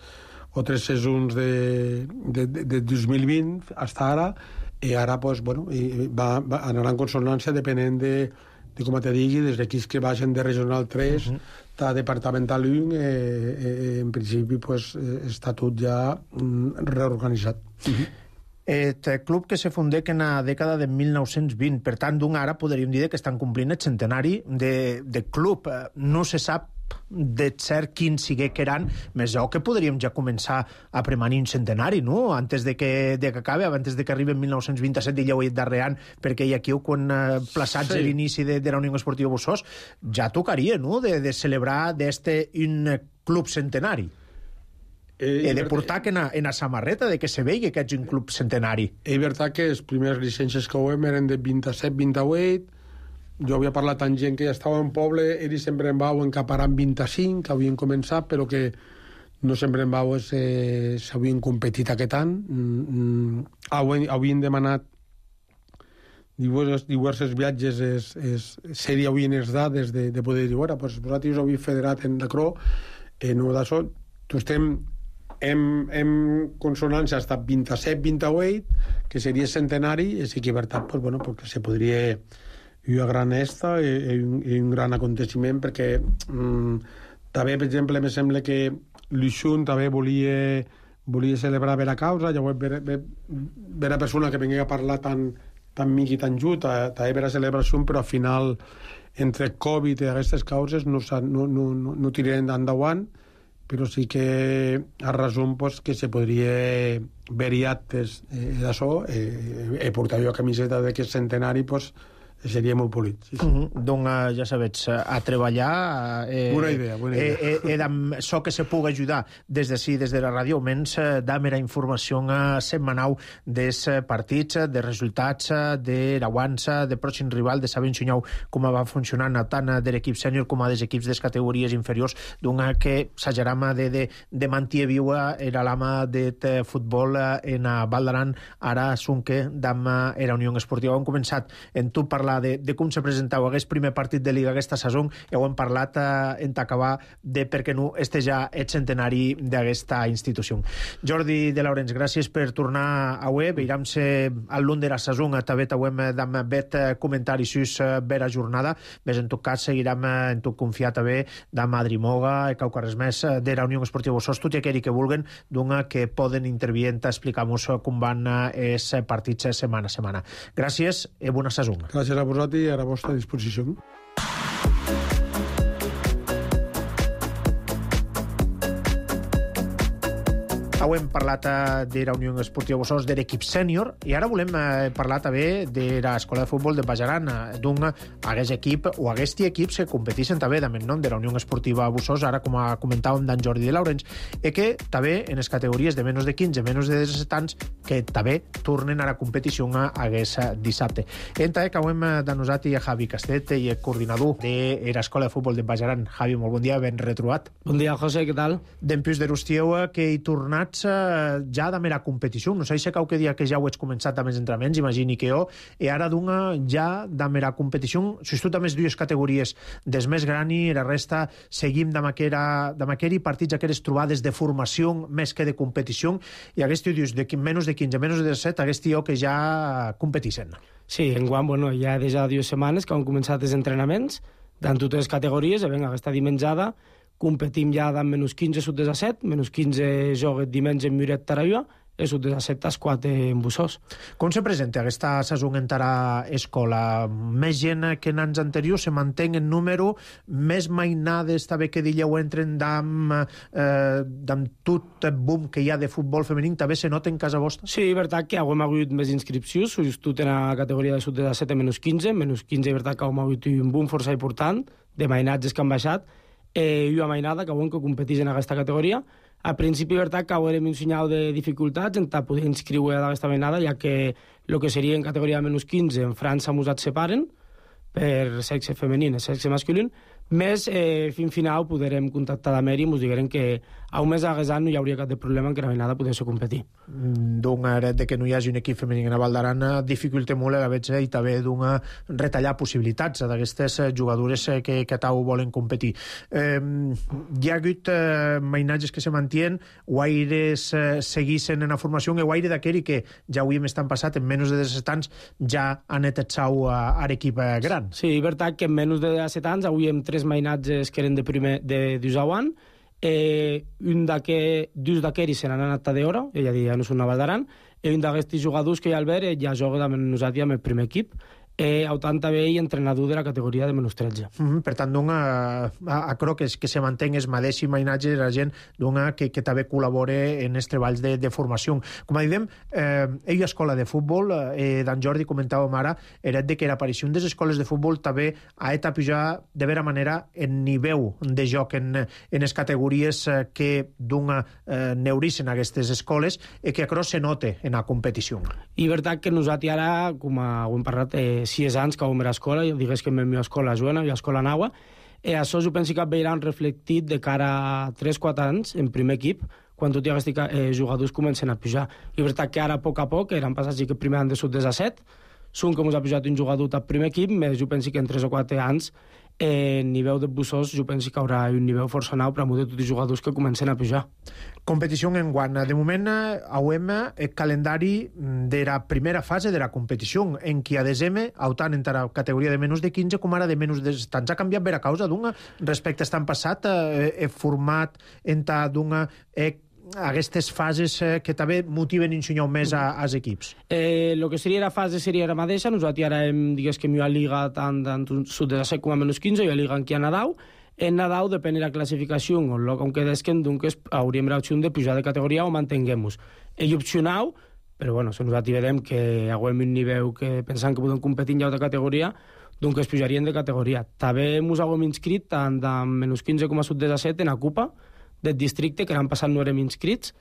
o tres sessions de, de, de, de dos mil vint fins ara, i ara pues, bueno, va, va anar en consonància depenent de, de com te digui, des d'equips que vagin de Regional tres, uh -huh. a Departamental un, eh, eh, en principi pues, eh, està tot ja mm, reorganitzat. Uh -huh. Et club que se fundé en la dècada de mil nou-cents vint, per tant, d'un ara podríem dir que estan complint el centenari de, de club. No se sap de cert quin sigui que eren, més jo que podríem ja començar a premanir un centenari, no? Antes de que, de que acabi, antes de que arribi en mil nou-cents vint-i-set, i ja ho he dit darrere, perquè hi ha aquí quan eh, plaçats sí. l'inici de, de la Unió Esportiva Bossós, ja tocaria, no?, de, de celebrar d'este un club centenari. Eh, he de portar que en a, en a samarreta de que se vegi que ets un club centenari. És veritat que les primeres llicències que ho hem eren de vint-i-set vint-i-vuit. Jo havia parlat amb gent que ja estava en poble, ells sempre en vau encaparant vint-i-cinc, que havien començat, però que no sempre en vau eh, s'havien competit aquest any. Mm, mm, havien demanat diversos, diversos viatges, es, es, sèrie havien les dades de, de poder dir, bueno, pues vosaltres us havien federat en l'acró, eh, no d'això, tu estem en, en consonància hasta vint-i-set vint-i-vuit, que seria centenari, i sí que, per tant, pues, bueno, porque se podria... i una gran esta i un, i un gran aconteciment, perquè mm, també, per exemple, me sembla que l'Uixun també volia, volia celebrar bé la causa, llavors ve, ve, ve la persona que venia a parlar tan, tan mic i tan just, també ve la celebració, però al final, entre Covid i aquestes causes, no, no, no, no, no tirarem endavant, però sí que a resum pues, que se podria haver-hi actes eh, d'això, eh, eh, portar jo a camiseta d'aquest centenari, pues, seria molt polit. Sí, sí. Uh -huh. Doncs, uh, ja sabets, uh, a treballar... Eh, bona idea, bona idea. Eh, eh, eh, so que se pugui ajudar des d'ací, des de la ràdio, almenys eh, dame la informació uh, setmanal dels uh, partits, uh, de resultats, uh, de l'aguança, de pròxim rival, de saber ensenyar com va funcionant tant uh, de l'equip sènior com a dels equips de categories inferiors, d'un que s'ajaram de, de, de mantir viua era l'ama de futbol uh, en uh, Val d'Aran, ara Sunque, d'ama era Unió Esportiva. Hem començat en tu parlar De, de com se presentava aquest primer partit de Liga aquesta saison, ja ho hem parlat eh, en acabar de per què no este ja el centenari d'aquesta institució. Jordi de Laurens, gràcies per tornar a web. Veiem-se al lluny de la saison, també t'hem d'am bet comentaris sus vera jornada, més en tot cas seguirem en tot confiar també de Madrimoga i caucarres més de la Unió Esportiva Bossós, tot i aquells que vulguen, doncs que poden intervient a explicar-nos com van els partits setmana a setmana. Gràcies i bona saison. Gràcies a vosaltres i a la vostra disposició. Hem parlat de la Unió Esportiva Bossós, de l'equip sènior, i ara volem eh, parlar també de l'escola de futbol de Bajaran, d'un aquest equip o aquests equips que competeixen també amb el nom de la Unió Esportiva Bossós, ara com comentàvem d'en Jordi de Laurens, i que també en les categories de menys de quinze, menys de disset anys, que també tornen a la competició aquest dissabte. Entra que hem denosat a Javi Castet, i el coordinador de l'escola de futbol de Bajaran. Javi, molt bon dia, ben retrobat. Bon dia, José, què tal? D'en plus de l'Ustieu, que he tornat formats eh, ja de mera competició. No sé si cau que dia que ja ho ets començat amb els entrenaments, imagini que jo, i ara d'una ja de mera competició, sobretot amb les dues categories des més grani i la resta seguim de maqueri partits, aquelles trobades de formació més que de competició, i aquest dius, de menys de quinze, menys de disset, aquest tio que ja competixen. Sí, enguany, bueno, ja des de dues setmanes que han començat els entrenaments en totes les categories, i vinga, aquesta dimenjada competim ja de menys quinze sud de set, menys quinze joguet dimenys en Muret Tarayua, i sud de set tas quatre en Bussós. Com se presenta aquesta saison en Tara Escola? Més gent que en anys anteriors, se manté en número, més mainades també que dilleu entren d'amb eh, tot el boom que hi ha de futbol femení, també se nota en casa vostra? Sí, veritat que hem hagut més inscripcions, just en la categoria de sud de set a menys quinze, menys quinze, veritat que hem hagut un boom força important de mainatges que han baixat, eh, i una mainada que avui que competeix en aquesta categoria. A principi, veritat, que haurem un senyal de dificultats en poder inscriure d'aquesta mainada, ja que el que seria en categoria de menys quinze en França mos et separen per sexe femení i sexe masculí, més eh, fin final podrem contactar d'Amer i ens digueren que a un mes d'Aguesant no hi hauria cap de problema en que la mainada pogués competir. D'un aret de que no hi hagi un equip femení a Val d'Aran dificulta molt la veig i també d'un retallar possibilitats d'aquestes jugadores que, que tau volen competir. Eh, hi ha hagut eh, mainatges que se mantien, guaires eh, seguissin en la formació, i guaire d'aquell que ja avui m'estan passat en menys de disset anys ja han etatxau a, a l'equip gran. Sí, veritat que en menys de disset anys avui hem tres mainatges que eren de primer de Dusauan, eh, un d'aquest dos d'aquells se n'han anat a d'hora, és a dir, ja no són a Val d'Aran, i un d'aquests jugadors que hi ha al ver ja juga amb nosaltres amb el primer equip, eh, autant també i entrenador de la categoria de menys tretze. Mm -hmm, per tant, dona, a, a crec que, que se mantén es mateix mainatge la gent dona que, que també col·labora en els treballs de, de formació. Com a diem, eh, ell escola de futbol, eh, d'en Jordi comentàvem ara, era de que l'aparició de les escoles de futbol també ha de pujar de vera manera en nivell de joc en, en les categories que dona eh, neurissen aquestes escoles i que a crec se note en la competició. I veritat que nosaltres ara, com ho hem parlat, eh, sis anys que vam a l'escola, digués que en la escola Joana i l'escola Naua, i això jo penso que veiran reflectit de cara a tres quatre anys en primer equip, quan tots aquests eh, jugadors comencen a pujar. I veritat que ara, a poc a poc, eren passats que primer han de sud de set, són com us ha pujat un jugador al primer equip, més jo penso que en tres o quatre anys en nivell de Bussós jo penso que hi haurà un nivell força nou per a tots els jugadors que comencen a pujar. Competició en guant. De moment hem el calendari de la primera fase de la competició, en què a desembre, autant en la categoria de menys de quinze com ara de menys de tants. Ha canviat per a causa d'una respecte a estan passat, eh, format en ta d'una eh, aquestes fases eh, que també motiven i ensenyar més a, als equips? Eh, lo que seria la fase seria la mateixa. Nosaltres ara hem, digués que m'hi ha liga tant en sud de set com a menys quinze, i ha liga aquí a Nadal. En Nadal, depèn de la classificació, o el com que desquen, doncs hauríem l'opció de pujar de categoria o mantenguem-nos. Ell opcionau, però bueno, si nosaltres vedem que haguem un nivell que pensant que podem competir en altra categoria, doncs es pujarien de categoria. També ens haguem inscrit tant de menys quinze com a sud de set en la Copa del districte, que l'any passat no érem inscrits.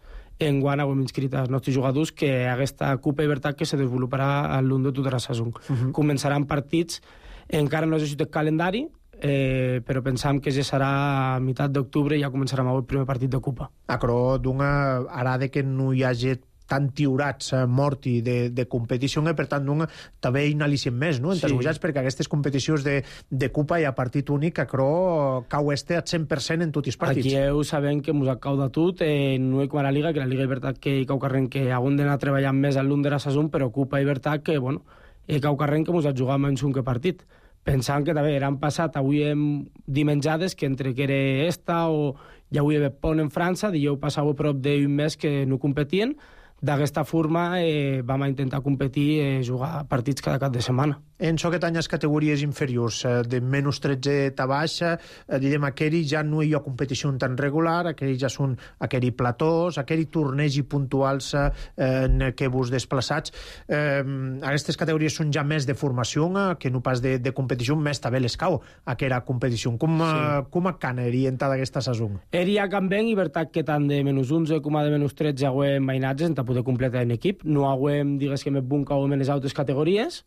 En guany haguem inscrit els nostres jugadors que aquesta Copa Llibertat que se desenvoluparà a l'un de tota la saison. Uh -huh. Començaran partits, encara no és el calendari, eh, però pensam que ja serà a meitat d'octubre i ja començarem el primer partit de Copa. Acro, d'una ara de que no hi hagi tan tiurats eh, morti de, de competició, i per tant d'un, també hi n'alicien més, no? Sí. Perquè aquestes competicions de, de Copa i a partit únic, acro, cau este al cent per cent en tots els partits. Aquí heu sabem que mos cau de tot, eh, no és com a la Liga, que la Liga Llibertat que hi cau carrent que haguem d'anar treballant més a l'un de la saison, però Copa Llibertat que, bueno, hi cau carrent que mos ha jugat menys un que partit. Pensant que també eren passat, avui hem dimenjades que entre que era esta o ja avui ve Pont en França, dijous passava prop d'un mes que no competien. D'aquesta forma eh, vam intentar competir, eh, jugar partits cada cap de setmana. En aquest any les categories inferiors, eh, de menys tretze a baix, eh, direm, aquell ja no hi ha competició tan regular, aquell ja són aquell platós, aquell tornegi puntuals eh, en què vos desplaçats. Eh, aquestes categories són ja més de formació eh, que no pas de, de competició, més també l'escau aquella competició. Com, sí. eh, com a cana orientada aquesta saison? Eria canvent, i veritat que tant de menys onze com a de menys tretze haguem mainatges en poder completar en equip. No haguem, digues que més bon que haguem en les altres categories,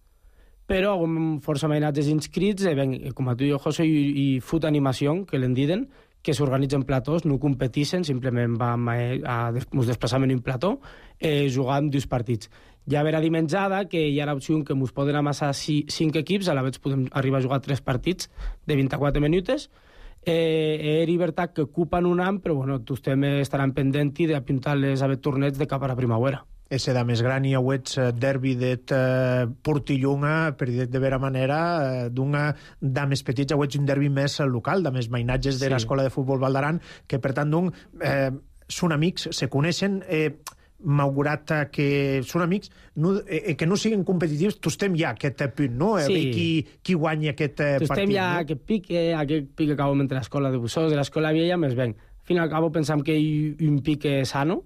però haguem força mainatges inscrits, eh, ben, com a tu i jo, José, i, i Foot Animació, que l'en diden, que s'organitzen platós, no competeixen, simplement vam a, a, ens desplaçam en un plató, eh, jugant dos partits. Ja verà dimenjada que hi ha l'opció que ens poden amassar cinc equips, a la vegada podem arribar a jugar tres partits de vint-i-quatre minuts. Eh, era veritat que ocupen un any, però bueno, tots estaran pendents d'apuntar-les a ver torneigs de cap a la primavera. Ese da més gran i auets derbi d'et Portillunga, per dir de vera manera, d'una da més petits auets un derbi més local, da més mainatges de l'escola de futbol Val d'Aran, que per tant d'un eh, són amics, se coneixen, eh, malgrat que són amics, no, eh, que no siguin competitius, tu estem ja aquest punt, no? A sí. veure qui, qui guanya aquest eh, partit. Tu estem ja no? aquest pique, aquest pique que acabem entre l'escola de Bussós i l'escola vella, més ben. Al fin i al cabo pensam que hi ha un pique sano,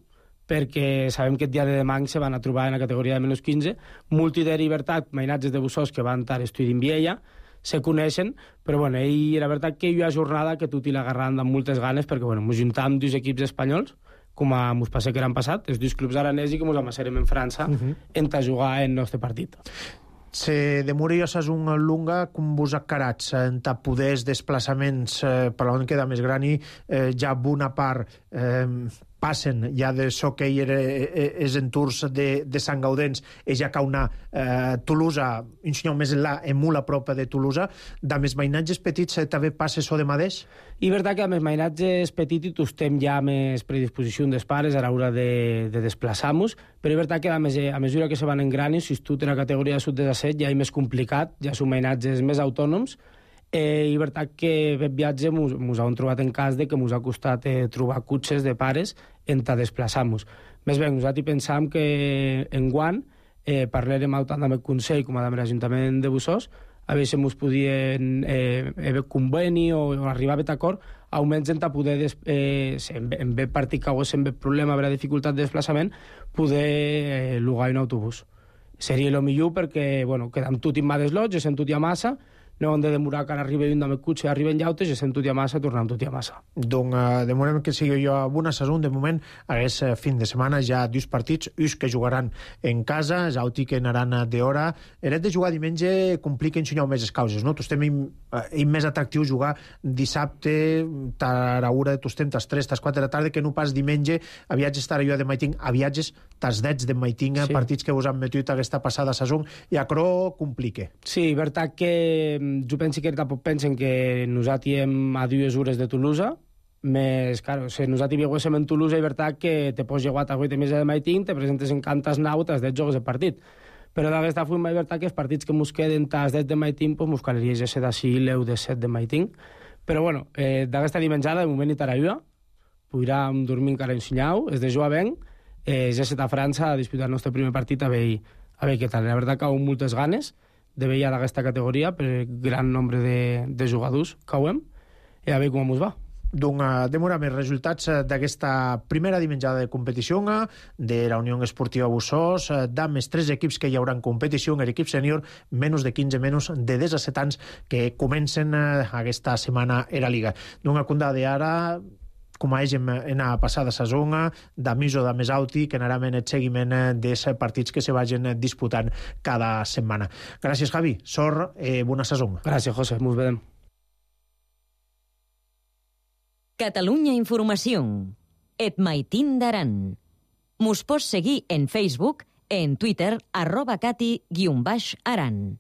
perquè sabem que el dia de demà se van a trobar en la categoria de menys quinze. Multi de Libertat, mainatges de Bussós que van estar estudint Viella, se coneixen, però bueno, ell era veritat que hi ha jornada que tot i l'agarran amb moltes ganes, perquè bueno, ens juntàvem dos equips espanyols, com a mos passa que eren passat, els dos clubs aranesi que ens amassarem en França, uh-huh. en a jugar en el nostre partit. Se demoria un lunga com vos acarats en ta poders desplaçaments eh, per on queda més gran i eh, ja bona part eh, passen ja de so que hi era els entours de, de Sant Gaudens i ja cauna eh, Tolosa, un senyor més enlà, en molt a prop de Tolosa, de més mainatges petits eh, també passa so de madeix? I veritat que amb els mainatges petits tu estem ja més predisposició dels pares a l'hora de, de desplaçar-nos, però és veritat que a, més, a mesura que se van engranin, si tu en la categoria de sud de set ja és més complicat, ja són mainatges més autònoms. Eh, i veritat que aquest viatge ens hem trobat en cas de que ens ha costat eh, trobar cotxes de pares en ta desplaçar-nos. Més bé, nosaltres pensàvem que en guant eh, parlarem tant amb el Consell com amb l'Ajuntament de Bussós a veure si ens podien eh, haver conveni o, o arribar a aquest acord, almenys en poder, des, eh, en, en ve partit que hagués en ve problema, haver dificultat de desplaçament, poder eh, lugar un autobús. Seria el millor perquè, bueno, quedam tot en mà des lots, sent tot i a massa, no hem de demorar que ara arribi un amb el cotxe, arriben llautes i sent tot i a massa, tornem tot i a massa. Doncs uh, de moment que sigui jo a una saison, de moment hagués uh, fin de setmana ja dos partits, uns que jugaran en casa, l'altre que anaran d'hora. Eret de jugar diumenge complica ensenyar més les causes, no? Tu estem im, uh, més atractiu jugar dissabte, a l'hora de tu estem, tas tres, tas quatre de la tarda, que no pas diumenge, a viatges estar jo de maiting, a viatges tas dets de maiting, sí. Partits que us han metut aquesta passada saison, i a cro complica. Sí, veritat que jo penso que tampoc pensen que nosaltres hem a dues hores de Tolosa, més, claro, si nosaltres viuéssim en Tolosa, és veritat que te pots llegar a vuit mesos de maiting, te presentes en cantes nau, t'has de jocs de partit. Però d'aquesta forma és veritat que els partits que ens queden t'has de maiting, doncs ens calaria ja ser d'ací l'eu de set de maiting. Però bueno, eh, d'aquesta dimenjada, de moment hi tarà podrem dormir encara ensenyau, és de jugar ben, eh, ja set a França a disputar el nostre primer partit a veure, a veure què tal. La veritat que ha moltes ganes de veure d'aquesta categoria per el gran nombre de, de jugadors que ho hem i a veure com ens va. Doncs demorem els resultats d'aquesta primera dimenjada de competició de la Unió Esportiva Bussós, d'amb tres equips que hi haurà en competició, l'equip sènior, menys de quinze, menys de disset anys, que comencen aquesta setmana a la Liga. Doncs condada ara, com a ell en la passada saison, de més o de més auti, que anarem en el seguiment dels partits que se vagin disputant cada setmana. Gràcies, Javi. Sort, eh, bona saison. Gràcies, José. Ens veiem. Catalunya Informació. Et maitín d'Aran. Mos pots seguir en Facebook, en Twitter, arroba cati guion baix aran.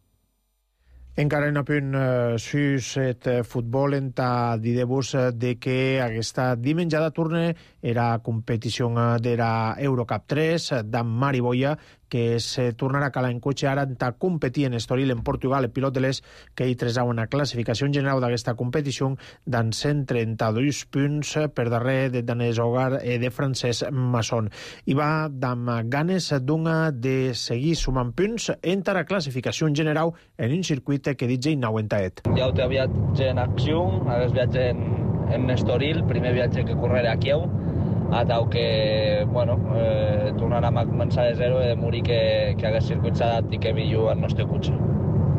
Encara en a punt uh, sus et uh, futbol en ta dir-vos uh, de que aquesta dimenjada torna era competició uh, de la Eurocup tres uh, d'en Mari Boia, que se tornarà a calar en cotxe ara en ta competir en Estoril, en Portugal, el pilot de l'Es, que hi tresau una classificació en general d'aquesta competició d'en cent trenta-dos punts per darrere de danès Hogar eh, de Francesc Masson. I va amb ganes d'una de seguir sumant punts en la classificació en general en un circuit que dit ja inaguentaet. Ja ho té viatge en acció, aquest viatge en, en Estoril, primer viatge que correré a Kieu, a tau que, bueno, eh, tornarem a començar de zero i de morir que, que aquest circuit s'adapti que millor al nostre cotxe.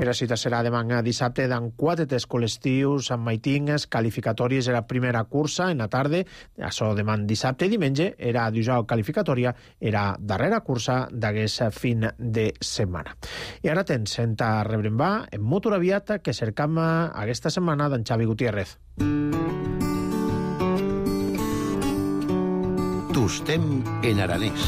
La cita serà demà dissabte d'en quatre test col·lectius amb maitingues, qualificatòries era primera cursa en la tarda, això demà dissabte i diumenge era dijous qualificatòria, era darrera cursa d'aquest fin de setmana. I ara tens en ta rebrembar en motor aviat que cercam aquesta setmana d'en Xavi Gutiérrez. Tostem en aranès.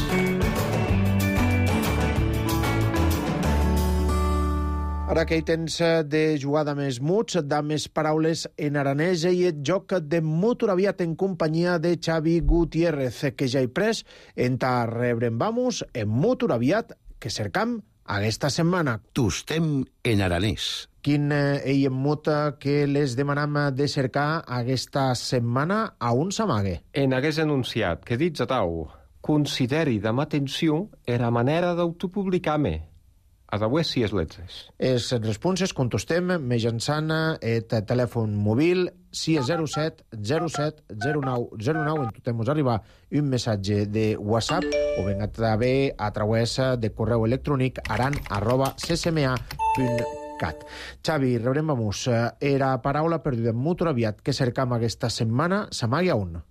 Ara que hi tens de jugar de més muts, de més paraules en aranès, i el joc de Motoraviat en companyia de Xavi Gutiérrez, que ja hi pres en ta rebre'n vamos en Motoraviat, que cercam aquesta setmana. Tostem en aranès. Quin ell en mot que les demanam de cercar aquesta setmana a un s'amague? En hagués anunciat que dits a tau, consideri de atenció era manera d'autopublicar-me. A d'avui si és letzes. Les responses contestem mitjançant el telèfon mòbil sis zero set zero set zero nou zero nou. En tot mos arribar un missatge de WhatsApp o ben també a través de correu electrònic aran arroba c s m a punt cat. Xavi, rebrem a mus. Era paraula perduda en Motoraviat que cercam aquesta setmana s'amague a un.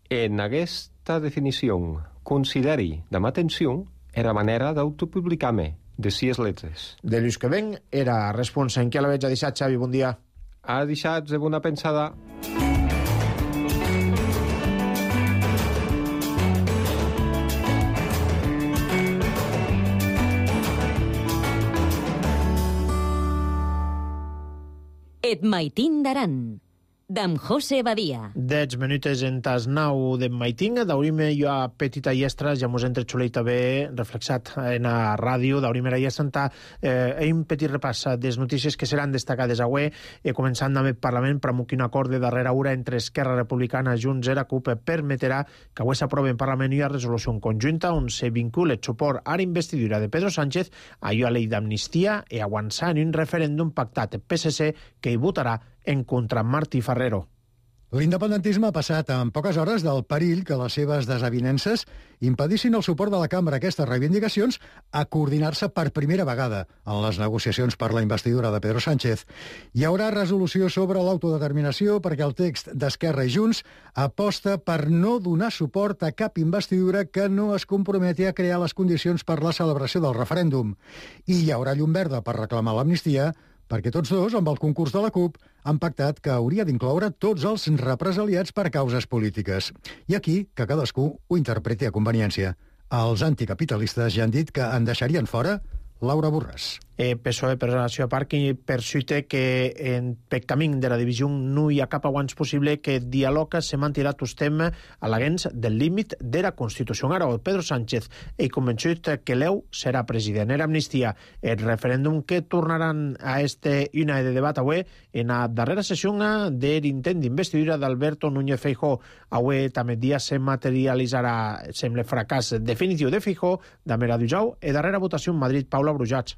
En aquesta definició, consideri de atenció era manera d'autopublicar-me. De sis letres. De l'ús que ven era responsa. En què la veig a deixat, Xavi? Bon dia. A deixat de bona pensada. Et maitin d'aran. D'en José Badia. Dez minutes en tas nau de maiting, daurim jo a petita iestra, ja mos entre xulei també reflexat en la ràdio, daurim era iestra, eh, un petit repàs des notícies que seran destacades avui, eh, començant amb el Parlament, pramuc un acord de darrera hora entre Esquerra Republicana, Junts i la CUP permetrà que avui s'aprovi en Parlament una resolució conjunta on se vincula el suport a la investidura de Pedro Sánchez a la llei d'amnistia i avançar en un referèndum pactat P S C que hi votarà en contra Martí Ferrero. L'independentisme ha passat en poques hores del perill que les seves desavinences impedissin el suport de la cambra a aquestes reivindicacions a coordinar-se per primera vegada en les negociacions per la investidura de Pedro Sánchez. Hi haurà resolució sobre l'autodeterminació perquè el text d'Esquerra i Junts aposta per no donar suport a cap investidura que no es comprometi a crear les condicions per la celebració del referèndum. I hi haurà llum verda per reclamar l'amnistia perquè tots dos, amb el concurs de la CUP, han pactat que hauria d'incloure tots els represaliats per causes polítiques. I aquí, que cadascú ho interpreti a conveniència. Els anticapitalistes ja han dit que en deixarien fora Laura Borràs. Eh, P S O E per relació a part i per suite que en pel camí de la divisió no hi ha cap aguants possible que el diàleg se mantirà tostem a l'agens del límit de la Constitució. Ara, Pedro Sánchez és convençut que l'E U serà president. Era amnistia el referèndum que tornaran a este una de debat avui en la darrera sessió de l'intent d'investidura d'Alberto Núñez Feijóo. Avui també dia se materialitzarà, sembla fracàs definitiu de Feijóo, d'Amera Dujau, i darrera votació en Madrid, Paula Brujats.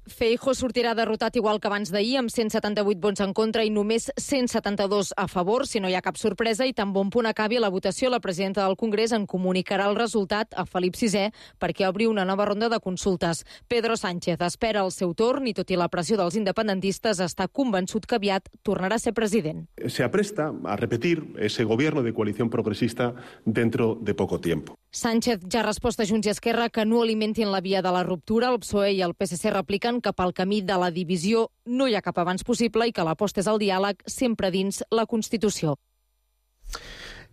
Feijóo sortirà derrotat igual que abans d'ahir, amb cent setanta-vuit vots en contra i només cent setanta-dos a favor, si no hi ha cap sorpresa, i tan bon punt acabi la votació, la presidenta del Congrés en comunicarà el resultat a Felip sisè perquè obri una nova ronda de consultes. Pedro Sánchez espera el seu torn i, tot i la pressió dels independentistes, està convençut que aviat tornarà a ser president. Se apresta a repetir ese gobierno de coalición progresista dentro de poco tiempo. Sánchez ja ha respost a Junts i Esquerra que no alimentin la via de la ruptura. El P S O E i el P S C repliquen que pel camí de la divisió no hi ha cap avanç possible i que l'aposta és al diàleg sempre dins la Constitució.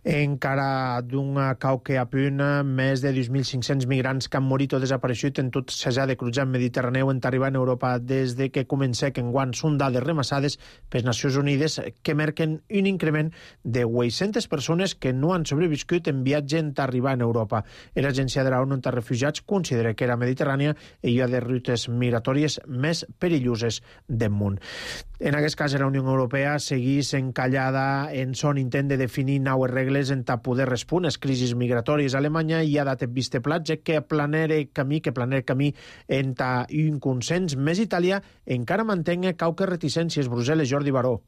Encara d'un cau que a punt, més de dos mil cinc-cents migrants que han morit o desapareixut en tot s'ha de cruzar Mediterraneu en arribar a Europa des de que comença que enguany són dades remassades per Nacions Unides que marquen un increment de vuit-centes persones que no han sobreviscut en viatge en arribar a Europa. L'Agència de la ONU de Refugiats considera que la Mediterrània hi ha de rutes migratòries més perilloses del món. En aquest cas, la Unió Europea segueix encallada en son intent de definir noves regles en ta poder respondre a les crisis migratòries. Alemanya hi ha dat vist platge que planere camí, que planere camí en ta un consens. Més Itàlia encara mantenga cauques reticències. Brussel·les, Jordi Baró.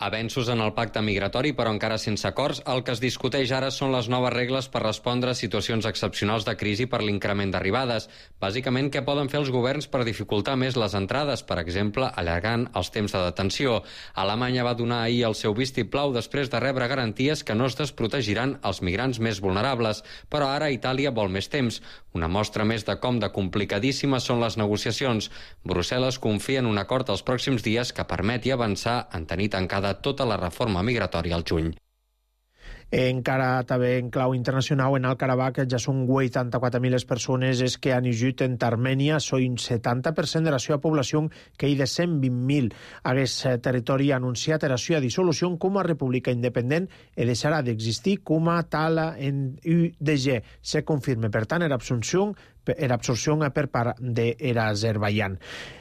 Avenços en el pacte migratori, però encara sense acords. El que es discuteix ara són les noves regles per respondre a situacions excepcionals de crisi per l'increment d'arribades. Bàsicament, què poden fer els governs per dificultar més les entrades, per exemple, allargant els temps de detenció. Alemanya va donar ahir el seu vistiplau després de rebre garanties que no es desprotegiran els migrants més vulnerables, però ara Itàlia vol més temps. Una mostra més de com de complicadíssimes són les negociacions. Brussel·les confia en un acord els pròxims dies que permeti avançar en tenir tancada tota la reforma migratòria al juny. Encara també en clau internacional, en el Karabakh ja són vuitanta-quatre mil les persones es que han eixit en Armènia, són un setanta per cent de la seva població que hi de cent vint mil. Aquest territori ha anunciat la seva dissolució com a república independent i deixarà d'existir com a tal en U D G. Se confirma, per tant, l'absorció era absorció per part de l'Azerbaidjan.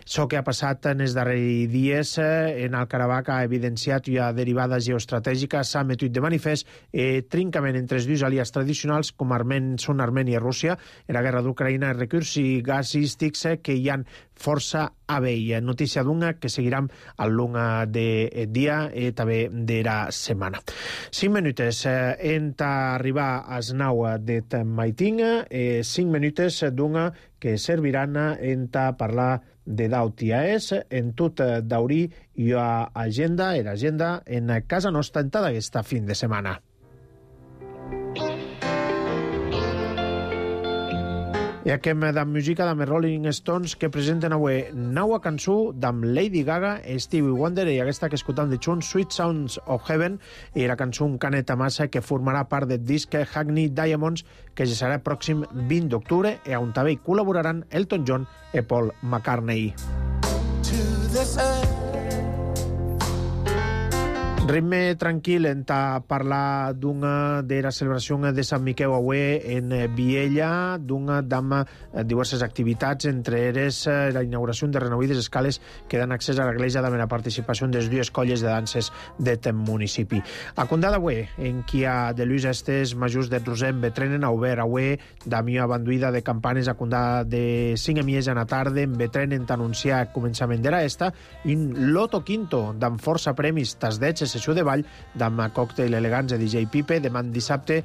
Això que ha passat en els darrers dies en el Karabakh ha evidenciat una derivada geoestratègica, s'ha metut de manifest eh, trincament entre els dos aliats tradicionals com Armen, són Armènia i Rússia en la guerra d'Ucraïna, els recursos gasístics que hi han força a veia. Notícia d'una que seguirem al long de dia i també de la setmana. Cinc minutes eh, en arribar als nou de maiting, eh, cinc minutes d'una que serviran en parlar de d'Autiaes, en tot d'Aurí i a agenda, en agenda en casa nostra en aquesta fin de setmana. I acabem amb música d'amb Rolling Stones que presenten avui nova cançó d'amb Lady Gaga, Stevie Wonder i aquesta que escoltam de Chun, Sweet Sounds of Heaven, i la cançó Un Caneta Massa que formarà part del disc Hackney Diamonds que ja serà el pròxim vint d'octubre i on també hi col·laboraran Elton John i Paul McCartney. Ritme tranquil en parlar d'una de la celebració de Sant Miquel avui en Viella, d'una d'amb diverses activitats, entre elles la inauguració de renovides escales que dan accés a l'església amb la participació de les dues colles de danses d'aquest municipi. A Condada avui, en qui ha de l'ús estes majors de Rosem Betrenen a obert avui, d'amió abanduïda de campanes a Condada de cinc a mies a la tarda, en Betrenen t'anunciar començament de la esta, un loto quinto d'amb força premis tasdets sessió de ball d'amb còctel elegants de D J Pipe, demà dissabte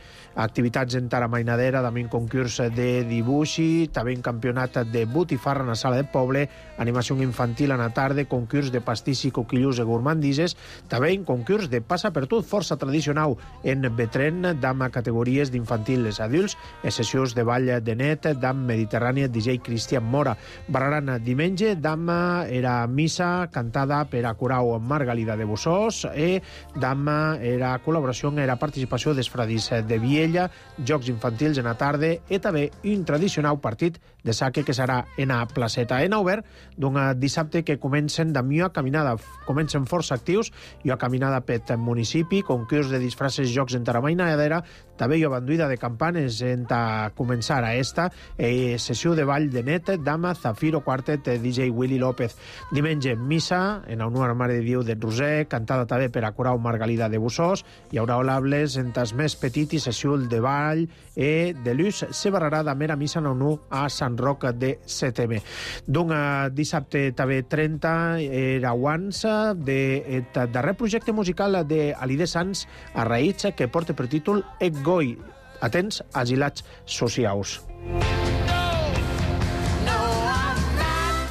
activitats en tara mainadera, també un concurs de dibuixi, també un campionat de botifarra en la sala de poble, animació infantil en la tarda, concurs de pastís i coquillus i gourmandises, també un concurs de passa per tot, força tradicional en Betren, d'amb categories d'infantil els adults, i sessions de ball de net d'amb Mediterrània D J Cristian Mora. Barraran diumenge d'amb era missa cantada per a Curau Margalida de Bussós i d'amb era col·laboració en la participació dels fradis de Viella, jocs infantils en la tarda i també un tradicional partit de saque que serà en la placeta. En obert d'un dissabte que comencen d'amió a caminada, comencen força actius i a caminada per municipi, concurs de disfraces, jocs en taramainadera, també hi ha banduïda de campanes en ta començar a esta eh, sessió de ball de net d'amb Zafiro Quartet de D J Willy López. Diumenge missa en honor a Mare de Déu de Roser, cantada també per a Curau Margalida de Bussós, hi haurà olables en tas més petit i sessió de ball i de l'ús se barrarà de mera missa en honor a Sant Roc de Setembre. D'un dissabte també trenta era abans de darrer projecte musical d'Alide Sanz a Raïts que porta per títol Ec Goi, atents agilats socials.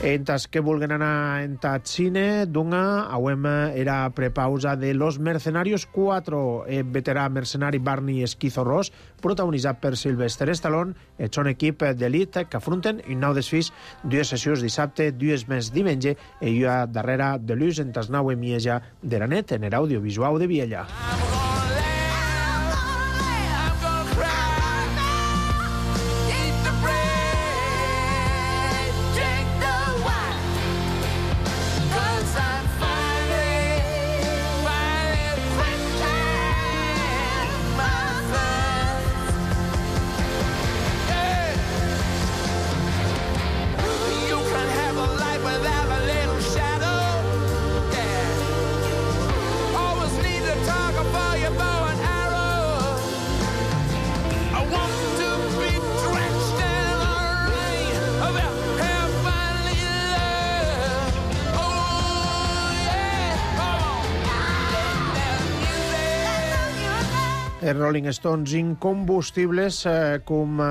Entas que vulguen anar en tat cine, d'una, auem era prepausa de Los Mercenarios quatre, el veterà mercenari Barney Esquizo Ross, protagonitzat per Sylvester Stallone, el son equip d'elit que afronten un nou desfís, dues sessions dissabte, dues més diumenge, i jo darrere de l'ús en tas nou emieja de la net en l'audiovisual de Viella. Els Rolling Stones incombustibles eh, com eh,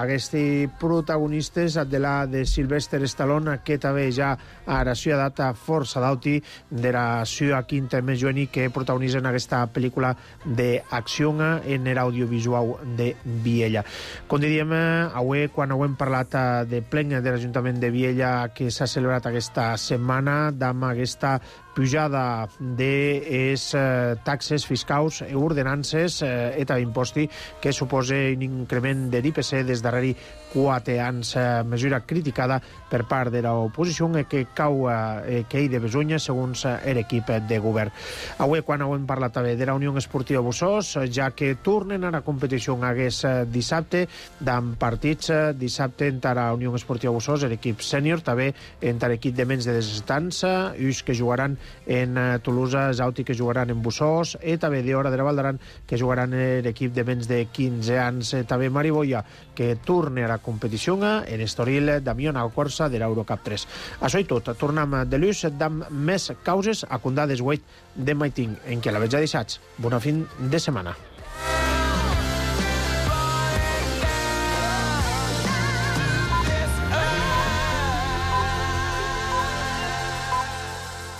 aquests protagonistes de la de Sylvester Stallone que també ja a la seva data força d'auti de la seva quinta més juvenil que protagonitzen aquesta pel·lícula d'acció en l'audiovisual de Viella. Com diríem, avui quan heu parlat de plenc de l'Ajuntament de Viella que s'ha celebrat aquesta setmana d'amb aquesta pujada de es eh, taxes fiscals e ordenances eh, e també imposti que suposa un increment de l'I P C des darreri quatre anys, eh, mesura criticada per part de l'oposició eh, que cau eh, que hi de besunya segons eh, l'equip de govern. Avui, quan hem parlat també de la Unió Esportiva Bussós, ja que tornen a la competició hagués eh, dissabte, d'en partits eh, dissabte entre la Unió Esportiva Bussós, l'equip sènior, també entre l'equip de menys de disset anys, uns que jugaran en Toulouse, Zauti que jugaran en Bussós, i també d'Hora de la Valdaran que jugaran l'equip de menys de quinze anys, també Mariboia que torna a la competició en Estoril, Damián Alcorsa de l'Eurocup tres. Això i tot, tornem de l'ús d'amb més causes a condades weit de Maiting, en què la veig a deixats. Bona fin de setmana.